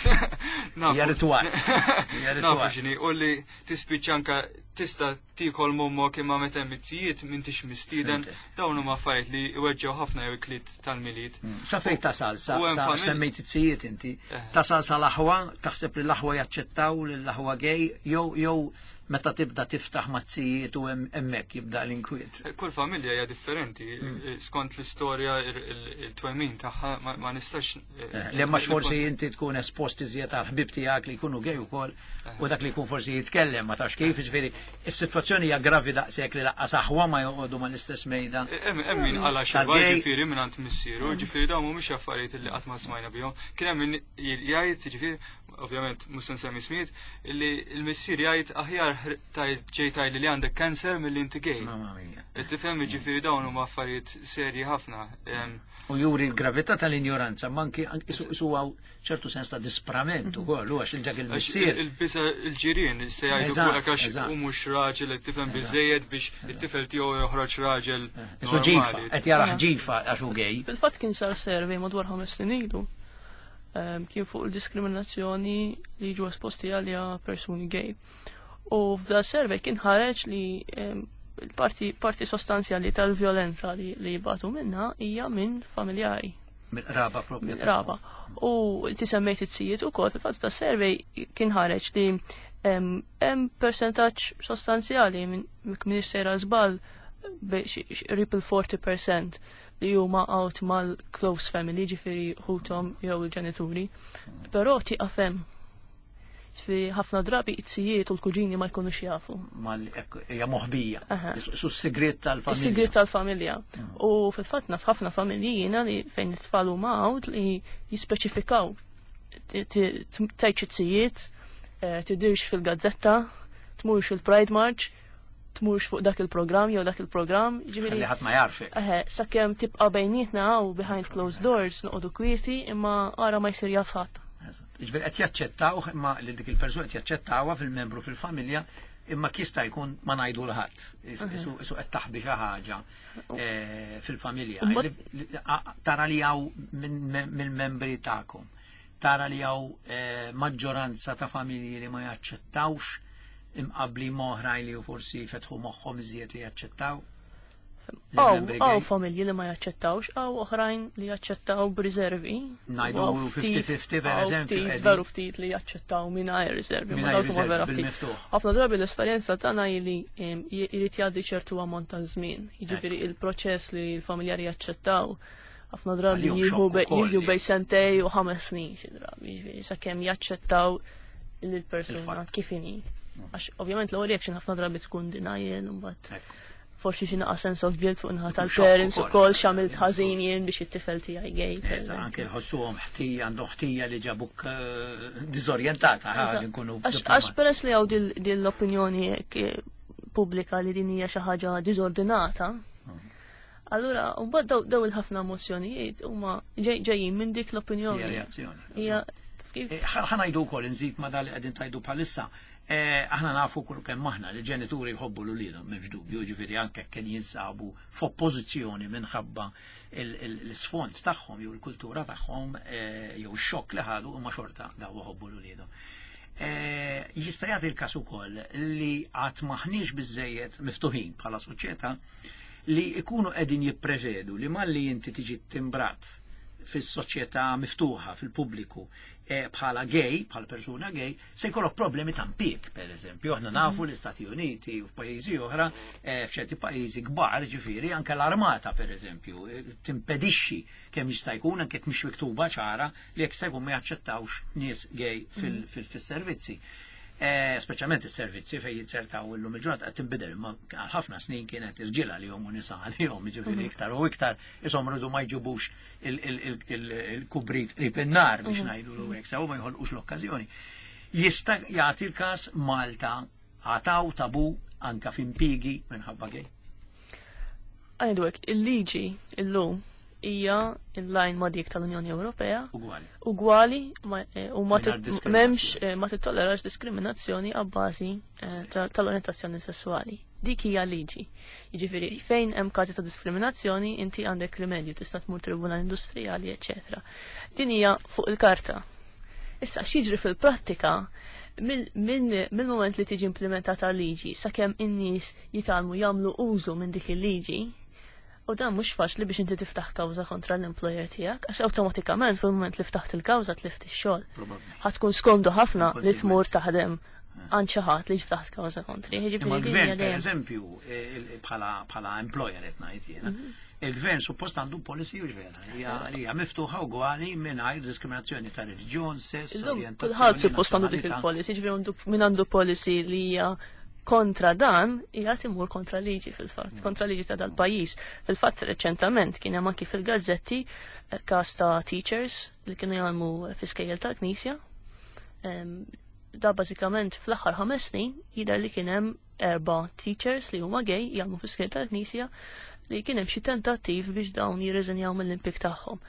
nafu. Hija ritwal. Hija Nafu ritwal. x'inhi u li tispiċċa anka tista' tiekol m'ommok imma meta hemm it-zijiet m'intix mistieden, Fhimtek. dawn huma affarijiet li iweġġew ħafna jew ikliet tal-Milied. Sa fej tasal, sa, U hemm sa familji- semmejt it-zijiet inti, Eh. tasal sa l-aħwa, taħseb li l-aħwa jaċċettaw li l-aħwa gay, jew jew meta tibda tiftaħ mat-zijiet u hemm- hemmhekk jibda l-inkwiet. Kull familja hija differenti, Mm. skont l-istorja, il- il-twemmin tagħha, ma ma nistax. Eh, Li ma forsi inti tkun espost iżjed għal ħbib tiegħek li jkunu gay ukoll u dak li jkun forsi jitkellem ma tafx kif, ġifieri is-sitwazzjoni hija gravi daqshekk li lanqas aħwa ma joqogħdu mal-istess mejda. Hemm hemm min qala xeba Tal-gay. ġifieri minn għand missieru, ġifieri dawn mhumiex affarijiet li qatt ma smajna bihom. Kien hemm min jgħid, ġifieri, ovvjament mhux se nsemmi ismijiet, li l-missier jgħid aħjar tajt ġej tajli li għandek cancer milli inti gay. Mamma mia. Tifhem, ġifieri dawn huma affarijiet serji ħafna. Em, U juri l-gravità tal-ignoranza, ma anki anki su su għaw ċertu sens ta' disprament ukoll, u għax il-ġak Għax il-missier. il-biża il-ġirien se jgħidu Eżatt, fuqek għax eżatt. u mhux raġel qed tifhem biżejjed biex it-tifel tiegħu joħroġ raġel Isu ġifa, normali. qed jaraħ ġifa għax hu gay. Fil-fatt kien sar survey madwar ħames snin ilu. Em, Kien fuq il-diskriminazzjoni li ġu esposti għalija persuni gay. U f'da survey kien ħareġ li em, il-parti parti sostanzjali tal-vjolenza li, li jibatu minna hija minn familjari. Mill-qraba propja. Minn qraba. U inti semmejt it-zijiet ukoll, fil-fatt ta' survey kien ħareġ li em, hemm percentaġġ sostanzjali minn minn sejra żball qrib il-around forty percent li huma out mal-close family, ġifieri ħuthom jew il-ġenituri. Però tieqaf hemm. Ġifieri ħafna drabi it-zijiet u l-kuġini ma jkunux jafu. Hija moħbija. Su s-sigriet tal-familja. Is-sigriet tal-familja. U fil-fatt naf ħafna familji jiena li fejn it-tfal huma out li jispeċifikaw tgħidx it-zijiet, tidirx fil-gazzetta, tmurx il-Pride March, tmurx fuq dak il-programm jew dak il-programm. Ġifieri ħadd ma jarfek. Eħe, sakemm tibqa' bejnietna u behind closed doors noqogħdu kwieti imma ara ma jsir jaf ħadd. Ġifieri qed jaċċettaw imma li dik il-persuna qed jaċċettawha fil-membru fil-familja imma jista' jkun ma ngħidu 'l ħadd. Isu qed taħbi xi ħaġa fil-familja. Tara li hawn mill-membri tagħkom. Tara li hawn maġġoranza ta' familji li ma jaċċettawx imqabli oħrajn li forsi fetħu moħħhom iżjed li jaċċettaw. Hawn familji li ma jaċċettawx, hawn oħrajn li jaċċettaw b'riservi. Ngħidu fifty fifty per eżempju. Veru ftit li jaċċettaw mingħajr riservi, ma dawk huma vera ftit. Ħafna drabi l-esperjenza tagħna li jrid jgħaddi ċertu ammont ta' żmien. Jiġifieri il-proċess li l-familjari jaċċettaw ħafna drabi jieħu bejn sentejn u ħames snin xi drabi, jiġifieri sakemm jaċċettaw lill-persuna kif inhi. Għax ovvjament l-ewwel reaction ħafna drabi tkun denial u mbagħad forsi xi naqa' sense of guilt fuq naħa tal-parents ukoll x'għamilt ħażin jien biex it-tifel tiegħi gay. Anke jħossuhom ħtija, għandhom ħtija li ġabuk diżorjentata nkunu. Għax peress li hawn din l-opinjoni pubblika li din hija xi ħaġa diżordinata. Allura, mbagħad daw il-ħafna emozzjonijiet huma ġejjin minn dik l-opinjoni. Hija reazzjoni. Ħa ngħidu wkoll inżid ma dal li qegħdin tajdu bħalissa. Aħna nafu kull kemm aħna li ġenituri jħobbu 'l uliedhom, m'hemmx dubju, ġifieri anke kien jinsabu f'oppożizzjoni minħabba l-isfond tagħhom jew il-kultura tagħhom jew ix-xokk li ħadu huma xorta daw jħobbu 'l uliedhom. Jista' jagħti l-każ ukoll li qatt maħniex biżejjed miftuħin bħala soċjetà li ikunu qegħdin jipprevedu li malli inti tiġi timbrat fis-soċjetà miftuħa fil-pubbliku bħala gay, bħala persuna gay, se jkollok problemi ta' impjieg, per eżempju. Aħna nafu l-Istati Uniti u f'pajjiżi oħra, f'ċerti pajjiżi kbar, ġifieri, anke l-armata, per eżempju, timpedixxi kemm jista' jkun, anke jekk mhix miktuba ċara, li jekk jista' jkun ma jaċċettawx nies gay fil-servizzi. Speċjalment is-servizzi fejn jizzertaw illum il-ġurnata qed tinbidel, imma għal ħafna snin kienet irġiel għalihom u nisa għalihom, jiġifieri iktar u iktar ishom rridu ma jġibux il-kubrit qrib in-nar biex ngħidu hekk sew ma jħolqux l-okkażjoni. Jista' jagħti l-każ Malta għataw tabu anka f'impjiegi minħabba gay. Għajdu hekk, il-liġi illum hija in line ma' dik tal-Unjoni Ewropea. Ugwali. Ugwali u ma m'hemmx ma tittollerax diskriminazzjoni abbażi tal-orientazzjoni sessuali. Dik hija liġi. Jiġifieri fejn hemm każi ta' diskriminazzjoni inti għandek rimedju, tista' tmur tribunal industrijali, eċetera. Din hija fuq il-karta. Issa x'jiġri fil-prattika mill-moment li tiġi implementata liġi sakemm in-nies jitgħallmu jagħmlu użu minn dik il-liġi. U dan mhux faċli biex inti tiftaħ kawża kontra l-employer tiegħek, għax awtomatikament fil-mument li ftaħt il-kawża tlift ix-xogħol. Ħa tkun skomdu ħafna li tmur taħdem għand xi ħadd li ftaħt kawża kontri. Imma l-gvern pereżempju bħala employer qed ngħid jiena, il-gvern suppost għandu policy u vera, hija miftuħa ugwali mingħajr diskriminazzjoni ta' reliġjon, sess, orjentazzjoni. Kulħadd suppost għandu dik il-policy, ġifieri min għandu policy li hija kontra dan, hija timur kontra liġi fil-fatt, kontra liġi ta' dal-pajjiż. Fil-fatt reċentament kien hemm anki fil-gazzetti każ ta' teachers li kienu jgħallmu fi skejjel tal-Knisja. Da bażikament fl-aħħar ħames snin jidher li kien hemm erba' teachers li huma gay jgħallmu fi skejjel tal-Knisja li kien hemm xi tentattiv biex dawn jirriżenjaw mill-impjieg tagħhom.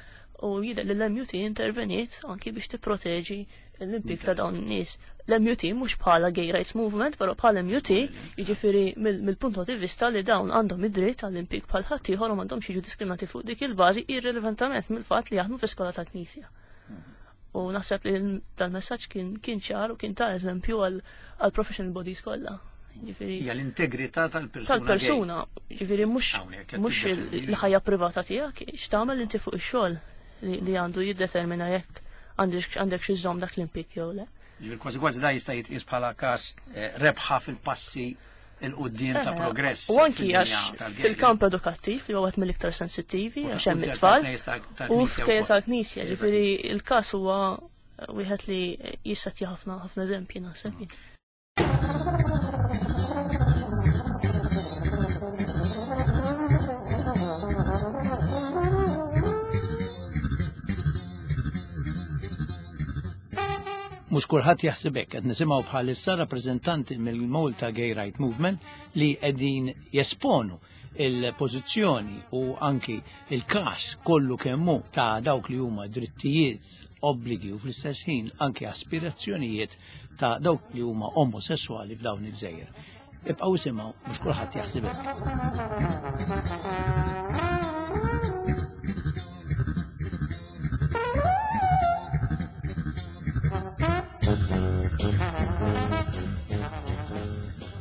U jidher li l-M U T interveniet anki biex tipproteġi l-impjieg ta' dawn in-nies. L-M U T mhux bħala gay rights movement, però bħala M U T, jiġifieri mill-punt di vista li dawn għandhom id-dritt għall-impjieg bħal ħaddieħor u m'għandhomx jiġu diskriminati fuq dik il-bażi irrelevantament mill-fatt li jaħdmu fi skola tal-Knisja. U naħseb li dal-messaġġ kien kien ċar u kien ta' eżempju għal professional bodies kollha. Hija l-integrità tal-persuna. Tal-persuna, ġifieri mhux mhux il-ħajja privata tiegħek, x'tagħmel inti fuq ix-xogħol li għandu jiddetermina jekk għandek xi żomm dak l-impjieg jew le. Ġifieri kważi kważi da jista' jitqies bħala każ rebħa fil-passi 'l quddiem ta' progress. U anki għax fil-kamp edukattiv li huwa wieħed mill-iktar sensittivi għax hemm it-tfal u f'kejjel tal-Knisja, ġifieri il-każ huwa wieħed li jissettja ħafna ħafna eżempji naħseb jien. Mhux kulħadd jaħseb hekk, qed nisimgħu bħalissa rappreżentanti mill-Malta Gay Right Movement li qegħdin jesponu il-pożizzjoni u anki il-każ kollu kemm hu ta' dawk li huma drittijiet, obbligi u fl-istess ħin anki aspirazzjonijiet ta' dawk li huma omosessuali f'dawn il-gżejjer. Ibqgħu isimgħu, mhux kulħadd jaħseb hekk.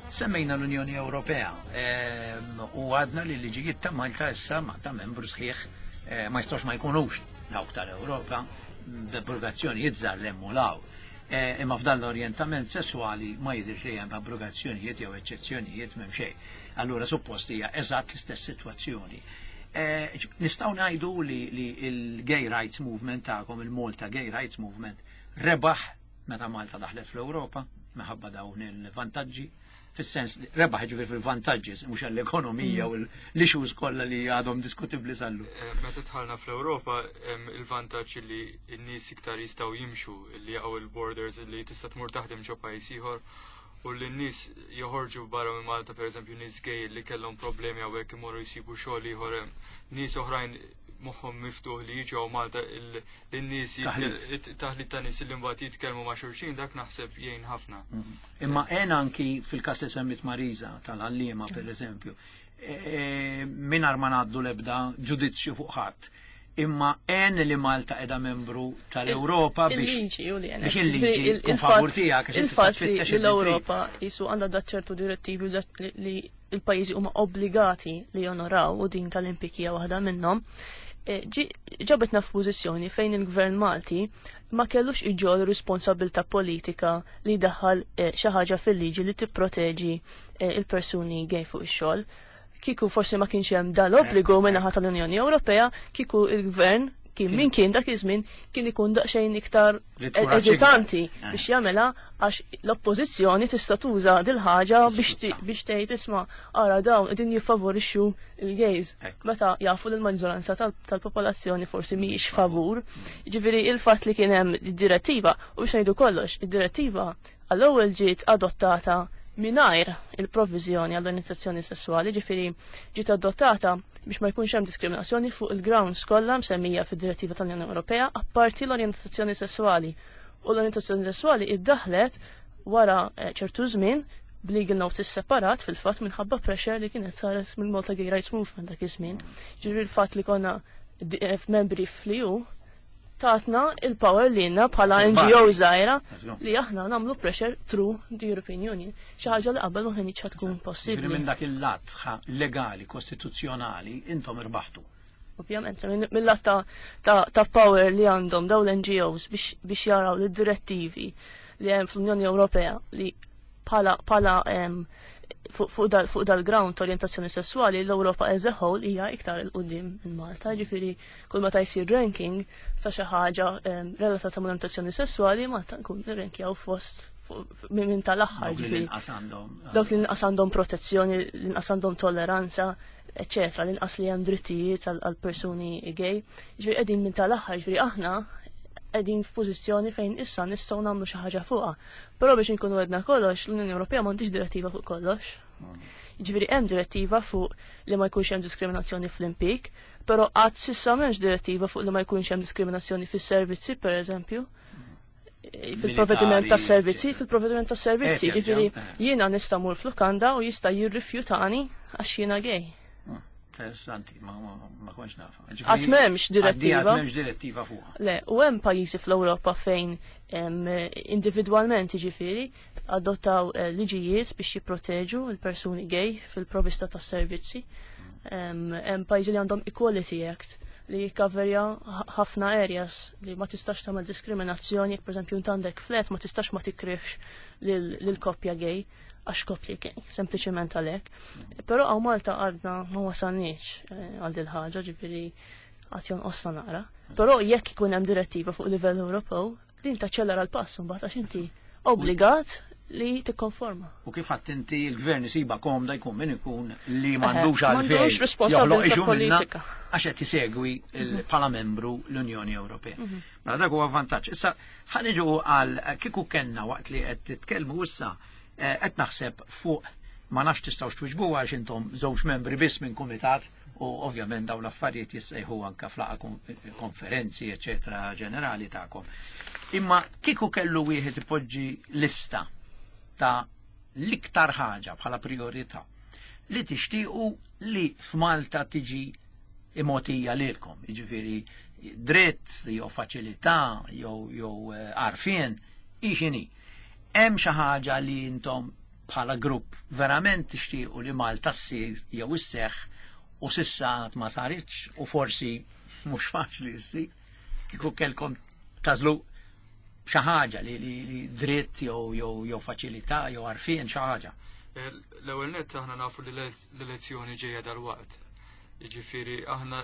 Semmejna l-Unjoni Ewropea, ehm, u għadna li l-liġijiet ta' Malta issa ma ta' membru sħiħ, eh, ma jistgħux ma jkunux dawk tal-Ewropa b'abrogazzjonijiet żgħar l hemm u 'l hawn. Eh, imma f'dan l-orjentament sessuali ma jidhirx li hemm abrogazzjonijiet jew eċċezzjonijiet, m'hemm xejn. Allura suppost hija eżatt l-istess sitwazzjoni. Eh, nistgħu ngħidu li, li il-Gay Rights Movement tagħkom, il-Malta Gay Rights Movement, rebaħ meta Malta daħlet fl-Ewropa minħabba dawn il-vantaġġi, fis-sens li rebaħ ġifier fil-vantaġġi, mhux għall-ekonomija u l-issues kollha li għadhom diskutibbli sallu. Eh, Meta dħalna fl-Ewropa hemm il-vantaġġ li n-nies iktar jistgħu jimxu, li jaqgħu il-borders, li tista' tmur taħdem ġo pajjiż ieħor u li n-nies joħorġu barra minn Malta, pereżempju nies gay li kellhom problemi hawnhekk imorru jsibu xogħol ieħor hemm. Nies oħrajn moħħhom miftuħ li jiġu hawn Malta, il- lin-nies Taħlit. jitkel- taħlit ta' nies li mbagħad jitkellmu ma' xulxin, dak naħseb jgħin ħafna. Imma għen anki fil-kas li semmit Marisa tal-għalliema per eżempju, e, mingħajr ma ngħaddu l-ebda ġudizzju fuq ħadd. Imma għen li Malta edha membru tal-Ewropa biex Il-liġi u li għenet. biex il-liġi Ġifieri, il- tkun il-fatt- favur tiegħek, għax inti Il-fatt tista' li tfittex l-Ewropa jisu għandha dat ċertu direttivi u dat li- li il-pajjiżi huma obbligati li jonoraw u din tal-impjieg hija waħda minnhom. eh, ġi- ġabetna f'pożizzjoni fejn il-Gvern Malti ma kellux iġorr responsabilità politika li daħal eh, xi ħaġa fil-liġi li tipproteġi eh, il-persuni gay fuq ix-xogħol. Kieku forsi ma kienx hemm dal-obbligu min-naħa tal-Unjoni Ewropea, kieku il-Gvern kien min kien dak iż-żmien kien ikun daqsxejn iktar Li tkun eżitanti raċċikta. biex jagħmilha, għax l-oppożizzjoni tista' tuża dil-ħaġa biex ti- biex tgħid, "Isma', ara dawn qegħdin jiffavorixxu il-gays", Ekku. meta jafu li l-maġġoranza tal- tal-popolazzjoni forsi mhijiex favur. Ġifieri il-fatt li kien hemm id-direttiva, u biex ngħidu kollox, id-direttiva għall-ewwel ġiet adottata mingħajr il-provviżjoni għall-orientazzjoni sessuali, ġifieri ġiet adottata biex ma jkunx hemm diskriminazzjoni fuq il-grounds kollha msemmija fid-direttiva tal-Unjoni Ewropea, apparti l-orientazzjoni sessuali. U l-orientazzjoni sessuali iddaħlet wara eh, ċertu żmien b'legal notice separat, fil-fatt minħabba pressure li kienet saret minn Malta Gay Rights Movement dak iż-żmien. Ġifieri il-fatt li konna di- eh, membri fl-E U tatna il-power li għandna bħala Il-bażi. N G O żgħira Let's go. li aħna nagħmlu pressure through the European Union. Xi ħaġa li qabel ma kinitx tkun Ġifieri possibbli. minn dak il-lat ħa- legali, kostituzzjonali, intom irbaħtu. Ovvjament, minn- mill-lat ta', ta, ta' power li għandhom dawn l-N G Os biex, biex jaraw li direttivi li hemm fl-Unjoni Ewropea li bħala bħala em, fuq fuq dal, fuq dal-ground ta' orientazzjoni sessuali l-Ewropa as a whole hija iktar 'il quddiem minn Malta, ġifieri kull meta jsir ranking ta' xi ħaġa em, relatata mal orientazzjoni sessuali, Malta nkun nirrankjaw fost fuq- minn minn tal-aħħar, Dawk li ġifieri l-inqas għandhom. Dawk li inqas għandhom protezzjoni, li inqas għandhom tolleranza, eccetera, li inqas li hemm drittijiet għal għal persuni gay. Ġifieri qegħdin minn tal-aħħar, ġifieri aħna qegħdin f'pożizzjoni fejn issa nistgħu nagħmlu xi ħaġa fuqha. Però biex inkunu għedna kollox, l-Unjoni Ewropea m'għandix direttiva fuq kollox. Ġifieri hemm direttiva fuq li ma jkunx hemm diskriminazzjoni fl-impjieg, però qatt s'issa m'hemmx direttiva fuq li ma jkunx hemm diskriminazzjoni fis-servizzi, pereżempju. Fil-provvediment ta' servizzi, eccetera. Fil-provvediment ta' servizzi, Eh, ġifieri eh. jiena nista' mur f'lukanda u jista' jirrifjutani għax jiena gay. Interessanti, ma, ma, ma kontx nafa. Qatt m'hemmx direttiva. Qatt m'hemmx direttiva fuqha. Le, u hemm pajjiżi fl-Ewropa fejn em, individwalment jiġifieri adottaw eh, liġijiet biex jipproteġu l-persuni gay fil-provista tas servizzi. Em, Hemm pajjiżi li għandhom Equality Act li jikkaverja ħ- ħafna areas li ma tistax tagħmel diskriminazzjoni, jekk pereżempju int għandek flat ma tistax ma tikrihx lil lil koppja gay għax koppja gay, sempliċement għalhekk. Però hawn Malta għadna ma wasalniex eh, għal dil ħaġa, ġifieri għad jonqosna naqra. Però jekk ikun hemm direttiva fuq livell Ewropew, Din taċċellera l-pass mbagħad għax inti obbligat li tikkonforma. U kif għedt inti, il-gvern isiba komda, jkun min ikun, li m'għandux għalfejn M'għandux responsabilità joħloq issue minnha politika. għax qed isegwi il- bħala membru l-Unjoni Ewropea. Mela dak huwa vantaġġ. Issa ħa niġu għal kieku kellna, waqt li qed titkellmu issa eh, qed naħseb fuq, ma nafx tistgħux twiġbu għax intom żewġ membri biss minn kumitat u ovvjament dawn l-affarijiet jissejħu anke f'laqgħa kon- konferenzi eċetera ġenerali tagħkom. Imma kieku kellu wieħed ipoġġi lista ta' l-iktar ħaġa bħala priorità li tixtiequ li f'Malta tiġi imotija lilkom, jiġifieri dritt jew faċilità jew jew eh, għarfien x'inhi. Hemm xi ħaġa li intom bħala grupp verament tixtiequ li Malta ssir jew isseħħ u s'issa għad ma saritx u forsi mhux faċli ssir? Kieku kellkom tagħżlu xi ħaġa li, li, li dritt jew jew jew faċilità jew għarfien, xi ħaġa. Eh, L-ewwel nett aħna nafu li l-elezzjoni ġejja dal-waqt. Jiġifieri aħna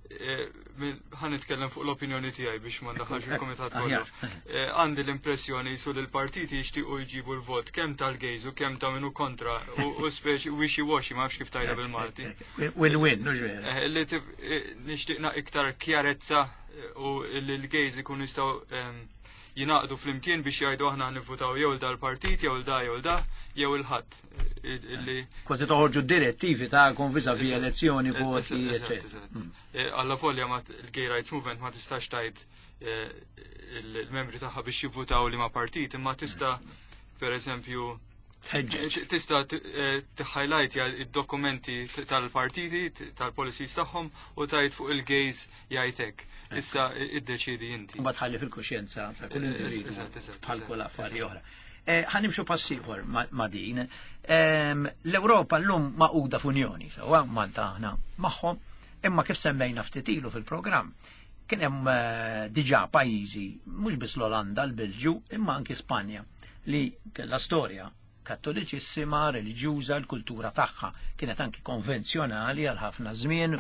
eh, min- ħa nitkellem fuq l-opinjoni tiegħi biex ma ndaħħalx il-kumitat kollu. Aħjar. Eh, Għandi l-impressjoni jisu li l-partiti jixtiequ jġibu l-vot kemm tal-gays u kemm ta' min hu kontra u u speċi wishy-washy, ma nafx kif tgħidha bil-Malti. Win-win, mhux vera? Eh, Li tib- eh, nixtieqna iktar kjarezza eh, u li l-gays ikun jistgħu ehm, jingħaqdu flimkien biex jgħidu aħna nivvutaw jew dal-partit jew da jew da jew il-ħadd. Illi Kważi toħorġu direttivi tagħkom vis-à-vis elezzjoni, voti, Eżatt, eccetera. eżatt. Eh, Alla volja ma il-Gay Rights Movement ma tistax tgħid eh, il-membri tagħha biex jivvutaw li ma partit, imma tista' per eżempju Tħeġġeġ. tista' t-highlight id-dokumenti tal-partiti, tal-policies tagħhom u tgħid fuq il-gays jgħidek. Issa iddeċidi inti. Mbagħad ħalli fil-kuxjenza ta' kull Eh, individu eżatt, eżatt, bħal eżatt, kull affari eżatt. oħra. Eh, Ħa nimxu pass ieħor ma' ma' din. Ehm, L-Ewropa llum magħquda f'Unjoni, sewwa, Malta aħna magħhom, imma kif semmejna ftit ilu fil-programm, kien hemm eh, diġà pajjiżi, mhux biss l-Olanda, l-Belġju, imma anki Spanja, li kellha storja kattoliċissima, reliġjuża, l-kultura tagħha kienet anki konvenzjonali għal ħafna żmien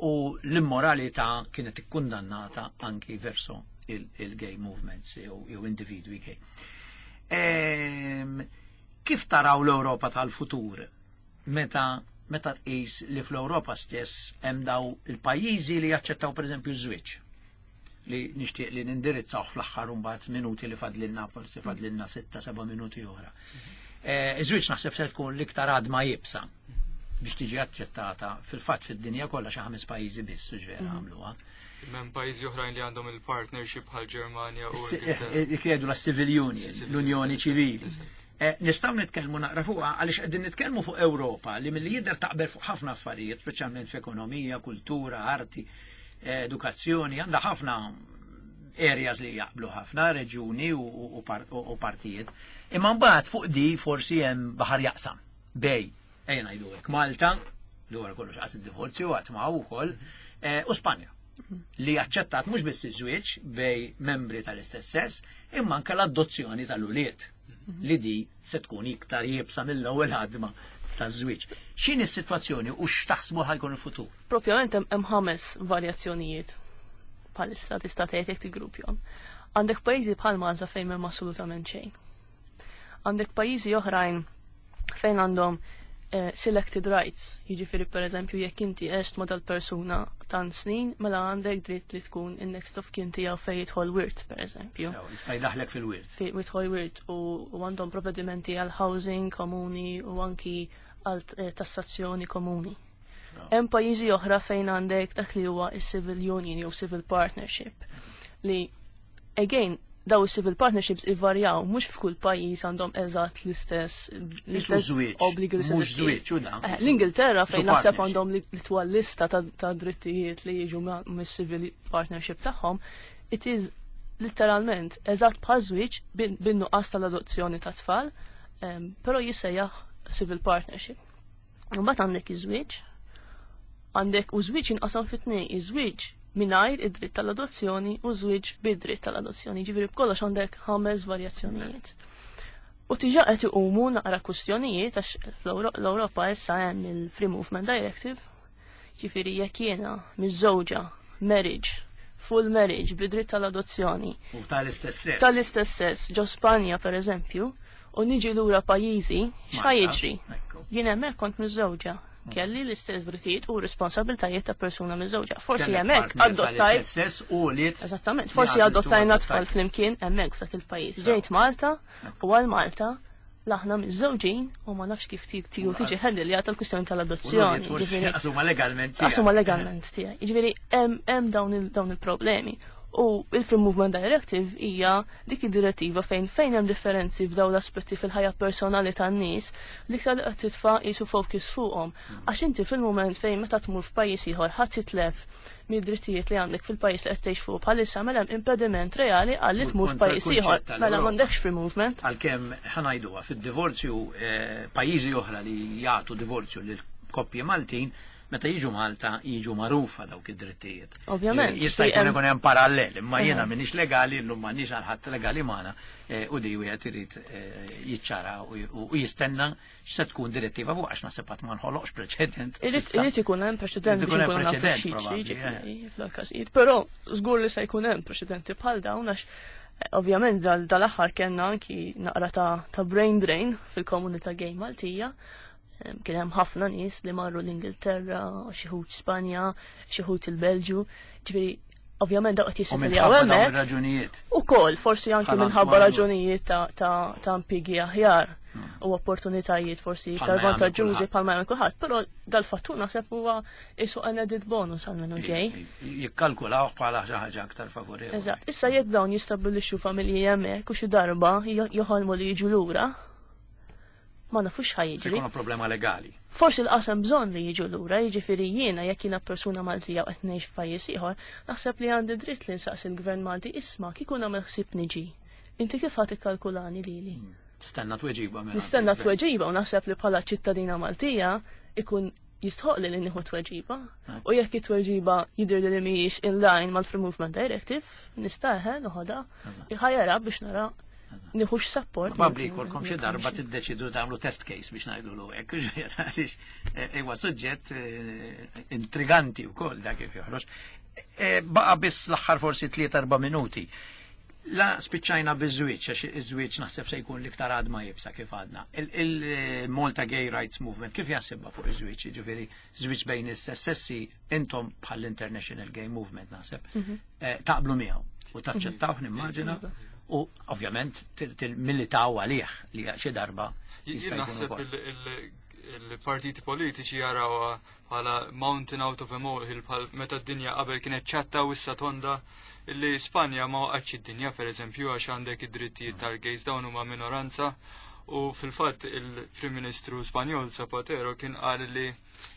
u l-immoralità kienet ikkundannata anki verso il-gay movements jew jew individwi gay. Ehm, Kif taraw l-Ewropa tal-futur meta meta tqis li fl-Ewropa stess hemm daw il-pajjiżi li jaċċettaw, pereżempju, ż-żwieġ li nixtieq li nindirizzaw fl-aħħar mbagħad minuti li fadlilna, forsi fadlilna sitta seba' minuti oħra. Eh, Iż-żwieġ naħseb se tkun l-iktar għadma iebsa biex tiġi aċċettata fil-fatt fid-dinja kollha. Xi ħames pajjiżi biss u ġvera għamluha. Hemm pajjiżi oħrajn li għandhom il-partnership bħal Ġermanja u Eh, Ingilterra. Jgħidu la civil union, Civil l-unjoni union, ċivili. eżatt. Eh, Nistgħu nitkellmu naqra fuqha għaliex qegħdin nitkellmu fuq Ewropa li milli jidher taqbel fuq ħafna affarijiet, speċjalment f'ekonomija, kultura, arti, eh, edukazzjoni, għandha ħafna areas li jaqblu ħafna, reġuni u, u, par- u, u partijiet. Imma mbagħad fuq di forsi hemm baħar jaqsam. Bej, ejja ngħidu hekk, Malta, li wara kollox qas id-divorzju għad ma' wkoll, eh, u Spanja li aċċettat mhux biss iż-żwieġ bej membri tal-istess sess, imma anke l-adozzjoni tal-ulied, li di se tkun iktar iebsa mill-ewwel ħadma taż-żwieġ. X'inhi s-sitwazzjoni u x'taħsbu ħa jkun il-futur? Propjament hemm hemm ħames varjazzjonijiet bħalissa, tista' tgħid, jekk tiggruppjahom. Għandek pajjiżi bħal Malta fejn m'hemm assolutament xejn. Għandek pajjiżi oħrajn fejn għandhom eh, selected rights, jiġifieri pereżempju jekk inti għext ma' dal-persuna tant snin, mela għandek dritt li tkun in-next of kin tiegħu fejn jidħol wirt, pereżempju. Sew, jista' jdaħlek fil-wirt. Fi jidħol wirt u u għandhom provvedimenti għal housing komuni u anki għal eh, tassazzjoni komuni. Hemm pajjiżi oħra fejn għandek dak li huwa is-civil union jew civil partnership li again daw is-civil partnerships ivarjaw, mhux f'kull pajjiż għandhom eżatt l-istess l-istess żwieġ, obbligi, l-istess mhux drittijiet. żwieġ, u dan. Eh, L-Ingilterra fejn Su naħseb partnership. għandhom li l-twal lista ta' ta' drittijiet li jiġu ma- mis-civil partnership tagħhom, it is literalment eżatt bħal żwieġ bin- bin-nuqqas tal-adozzjoni ta' tfal, em, però jissejjaħ civil partnership. Mbagħad għandek iż-żwieġ, għandek u żwieġ jinqasam fi tnejn, iż-żwieġ mingħajr id-dritt tal-adozzjoni u żwieġ bid-dritt tal-adozzjoni. Ġifieri b'kollox għandek ħames varjazzjonijiet. U diġà qed iqumu naqra kwistjonijiet għax fl-Ewropa issa hemm il-Free Movement Directive, ġifieri jekk jiena miżżewġa marriage full marriage bid-dritt tal-adozzjoni. U tal-istess sess. Tal-istess sess, ġo Spanja per eżempju, u niġi lura pajjiżi, x'ħa jiġri? Jien hemmhekk kont miżżewġa. Kelli l-istess drittijiet u responsabiltajiet ta' persuna miżżewġa. Forsi hemmhekk adottajt. Eżattament, forsi adottajna tfal flimkien hemmhekk f'dak il-pajjiż. Ġejt Malta u għal Malta aħna miżżewġin u ma nafx kif tiegħu tiġi ħendil l-kwistjoni tal-adozzjoni. Asuma legalment tiegħi. Asuma legalment tiegħi. Jiġifieri hemm dawn il-problemi. U il-Free Movement Directive hija dik id-direttiva fejn fejn hemm differenzi f'dawn l-aspetti fil-ħajja personali tan-nies li iktar li qed titfa' qisu focus fuqhom. Għax inti fil-mument fejn meta tmur f'pajjiż ieħor ħadd titlef mid-drittijiet li għandek fil-pajjiż li qed tgħix fuq bħalissa mela hemm impediment reali għal li tmur f'pajjiż ieħor. Mela m'għandekx free movement. Għalkemm ħa ngħiduha fid-divorzju pajjiżi oħra li jagħtu divorzju lil koppji Maltin meta jiġu Malta jiġu magħrufa dawk id-drittijiet. Ovvjament. Jista' jkun ikun hemm parallel, imma jiena m'iniex legali, llum m'għandniex għal ħadd legali magħna u di wieħed irid jiċċara u jistenna x'se tkun direttiva fuq għax naħseb qatt ma nħoloqx preċedent. Irid ikun hemm preċedent biex ikun hemm preċedent fl-każijiet, però żgur li se jkun hemm preċedenti bħal dawn għax ovvjament dal-aħħar kellna anki naqra ta' brain drain fil-komunità gay Maltija. Kien hemm ħafna nies li marru l-Ingilterra, xi wħud Spanja, xi wħud il-Belġju. Ġifieri ovvjament dawk qed jissetiljaw hemmhekk. Ukoll forsi anki minħabba raġunijiet ta' ta' impjiegi aħjar u opportunitajiet forsi iktar vantaġġużi bħalma jagħmel kulħadd, però dal-fattur naħseb huwa qisu an added bonus għal minnu ġej. Jikkalkulaw bħala xi ħaġa aktar favorevoli. Eżatt, issa jekk dawn jistabbilixxu familji hemmhekk u xi darba joħolmu li jiġu lura, ma nafux ħa jiġri. Se jkunu problema legali. Forsi l-qasam bżonn li jiġu lura, jiġifieri jiena jekk jiena persuna Maltija u qed ngħix f'pajjiż ieħor, naħseb li għandi dritt li nsaqsi l-Gvern Malti isma' kieku nagħmel ħsieb niġi. Inti kif ħadd ikkalkulani lili? Tistenna tweġiba mela. Nistenna tweġiba u naħseb li bħala ċittadina Maltija ikun jistħoq li nieħu tweġiba. U jekk it-tweġiba jidher li mhijiex in line mal-Free Movement Directive, nista' eħe noħodha ħajara biex nara nieħux support. Probabbli jkollkom xi darba tiddeċidu tagħmlu test case biex ngħidu hekk, għaliex huwa suġġett intriganti wkoll dak kif joħroġ. Baqa' biss l-aħħar forsi tliet erba' minuti. La spiċċajna biż-żwieġ, għax iż-żwieġ naħseb se jkun l-iktar għadma jibsa kif għadna. Il-Malta Gay Rights Movement kif jaħsibha fuq iż-żwieġ, jiġifieri żwieġ bejn is-sessi intom bħall-International Gay Movement naħseb taqblu miegħu u taċċettawh nimmaġina. U ovvjament til-militaw għalih li xi darba jista' jkun. Il-partiti politiċi jaraw bħala mountain out of a molehill bħal meta d-dinja qabel kienet ċatta u issa tonda li Spanja ma waqgħetx id-dinja pereżempju għax għandek id-drittijiet tal-gays dawn huma minoranza u fil-fatt il-Prim Ministru Spanjol Zapatero kien qal li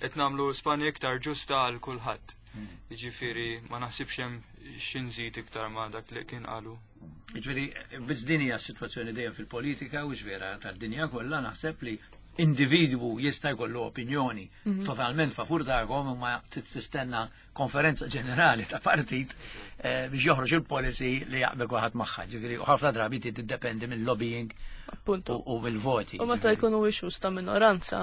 qed nagħmlu Spanja iktar ġusta għal kulħadd. Jiġifieri ma naħsibx hemm xi nżid iktar ma dak li kien qalu. Jiġifieri biss din hija s-sitwazzjoni dejjem fil-politika u vera tad-dinja kollha naħseb li individwu jista' jkollu opinjoni totalment favur tagħhom imma tistenna konferenza ġenerali ta' partit biex joħroġ il-policy li jaqbel kulħadd magħha. Ġifieri u ħafna drabi tiddependi mill-lobbying u mill-voti. U meta jkunu issues ta' minoranza,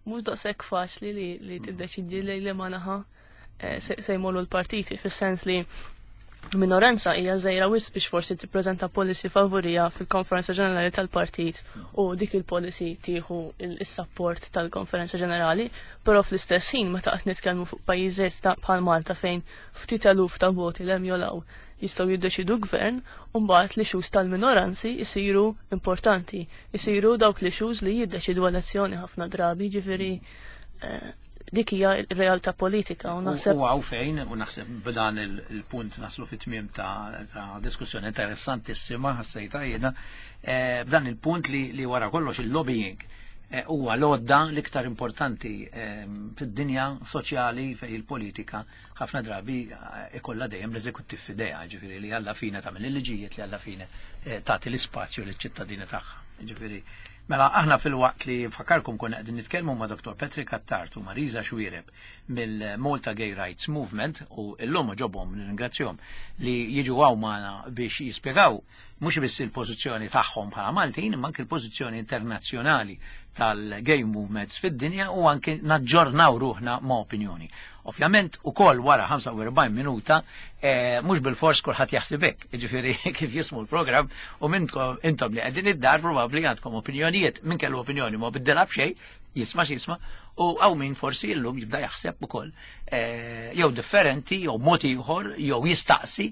mhux daqshekk faċli li tiddeċidi li li ma naħa se jmorru l-partiti, fis-sens li minoranza hija żgħira wisq biex forsi tippreżenta policy favorija fil-konferenza ġenerali tal-partit u dik il-policy tieħu is-support tal-konferenza ġenerali, però fl-istess ħin meta qed nitkellmu fuq pajjiżiet bħal Malta fejn ftit eluf ta' voti l hemm jolaw jistgħu jiddeċidu gvern, u mbagħad li issues tal-minoranzi jsiru importanti, jsiru dawk li issues li jiddeċidu elezzjoni ħafna drabi, ġifieri dik hija r-realtà politika u naħseb. U hawn fejn u naħseb b'dan il-punt naslu fit-tmiem ta' diskussjoni interessantissima ħassejta jiena b'dan il-punt li wara kollox il-lobbying huwa l-għodda l-iktar importanti fid-dinja soċjali fejn il-politika ħafna drabi ikollha dejjem l-eżekuttiv f'idejha, ġifieri li alla fine tagħmel il-liġijiet li alla fine tagħti l-ispazju liċ-ċittadini tagħha. Ġifieri mela aħna fil-waqt li fakarkom konna qegħdin nitkellmu ma' Doktor Patrick Attard u Marisa Xuereb mill-Malta Gay Rights Movement u llum ġobhom nirringrazzjahom li jiġu hawn magħna biex jispjegaw mhux biss il-pożizzjoni tagħhom bħala Maltin imma anke l-pożizzjoni internazzjonali Tal-gay movements fid-dinja u anke naġġornaw ruħna ma' opinjoni. Ovvjament, ukoll wara ħamsa u erbgħin minuta, eh, mhux bil-fors kulħadd jaħseb hekk, jiġifieri kif jismu l-programm u minnkom intom li qegħdin id-dar probabbli għandkom opinjonijiet, min kellu opinjoni ma biddilha b'xejn, jisma' x'jisma', u hawn min forsi llum jibda jaħseb ukoll eh, jew differenti, jew mod ieħor, jew jistaqsi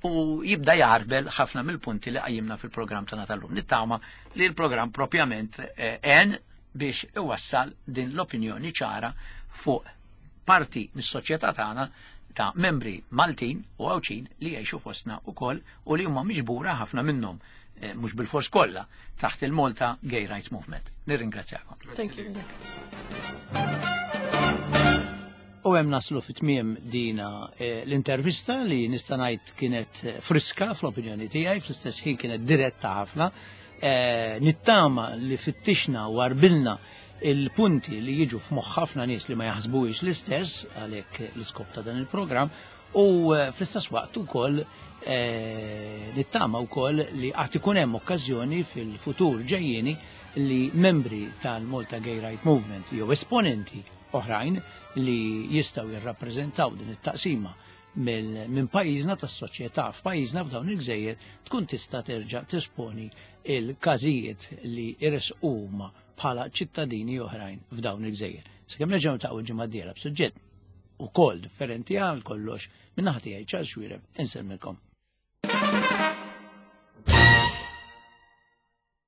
u jibda jarbel ħafna mill-punti li qajjimna fil-programm tagħna tal-lum. Nittama li l-programm propjament eh, en biex iwassal din l-opinjoni ċara fuq parti mis-soċjetà tagħna ta' membri Maltin u Għawdxin li jgħixu fostna ukoll u li huma miġbura, ħafna minnhom, eh, mhux bil-fors kollha, taħt il-Malta Gay Rights Movement. Nirringrazzjakom. Thank you. U hemm naslu fit-tmiem dina eh, l-intervista li nista' ngħid kienet eh, friska fl-opinjoni tiegħi, fl-istess ħin kienet diretta ħafna. Eh, nittama li fittixna u għarbilna il-punti li jiġu f'moħħ ħafna nies li ma jaħsbuhiex l-istess, għalhekk l-iskop ta' dan il-programm, u eh, fl-istess waqt ukoll eh, nittama wkoll li għad ikun hemm okkażjoni fil-futur ġejjieni li membri tal-Malta Gay Right Movement jew esponenti oħrajn li jistgħu jirrappreżentaw din it-taqsima minn pajjiżna tas-soċjetà f'pajjiżna f'dawn il-gżejjer tkun tista' terġa' tisponi il-każijiet li jresqu huma bħala ċittadini oħrajn f'dawn il-gżejjer. Sakemm nerġgħu niltaqgħu ġimgħa d-dieħla b'suġġett ukoll differenti għal kollox, minn naħa tiegħi Charles Xuereb insellmilkom.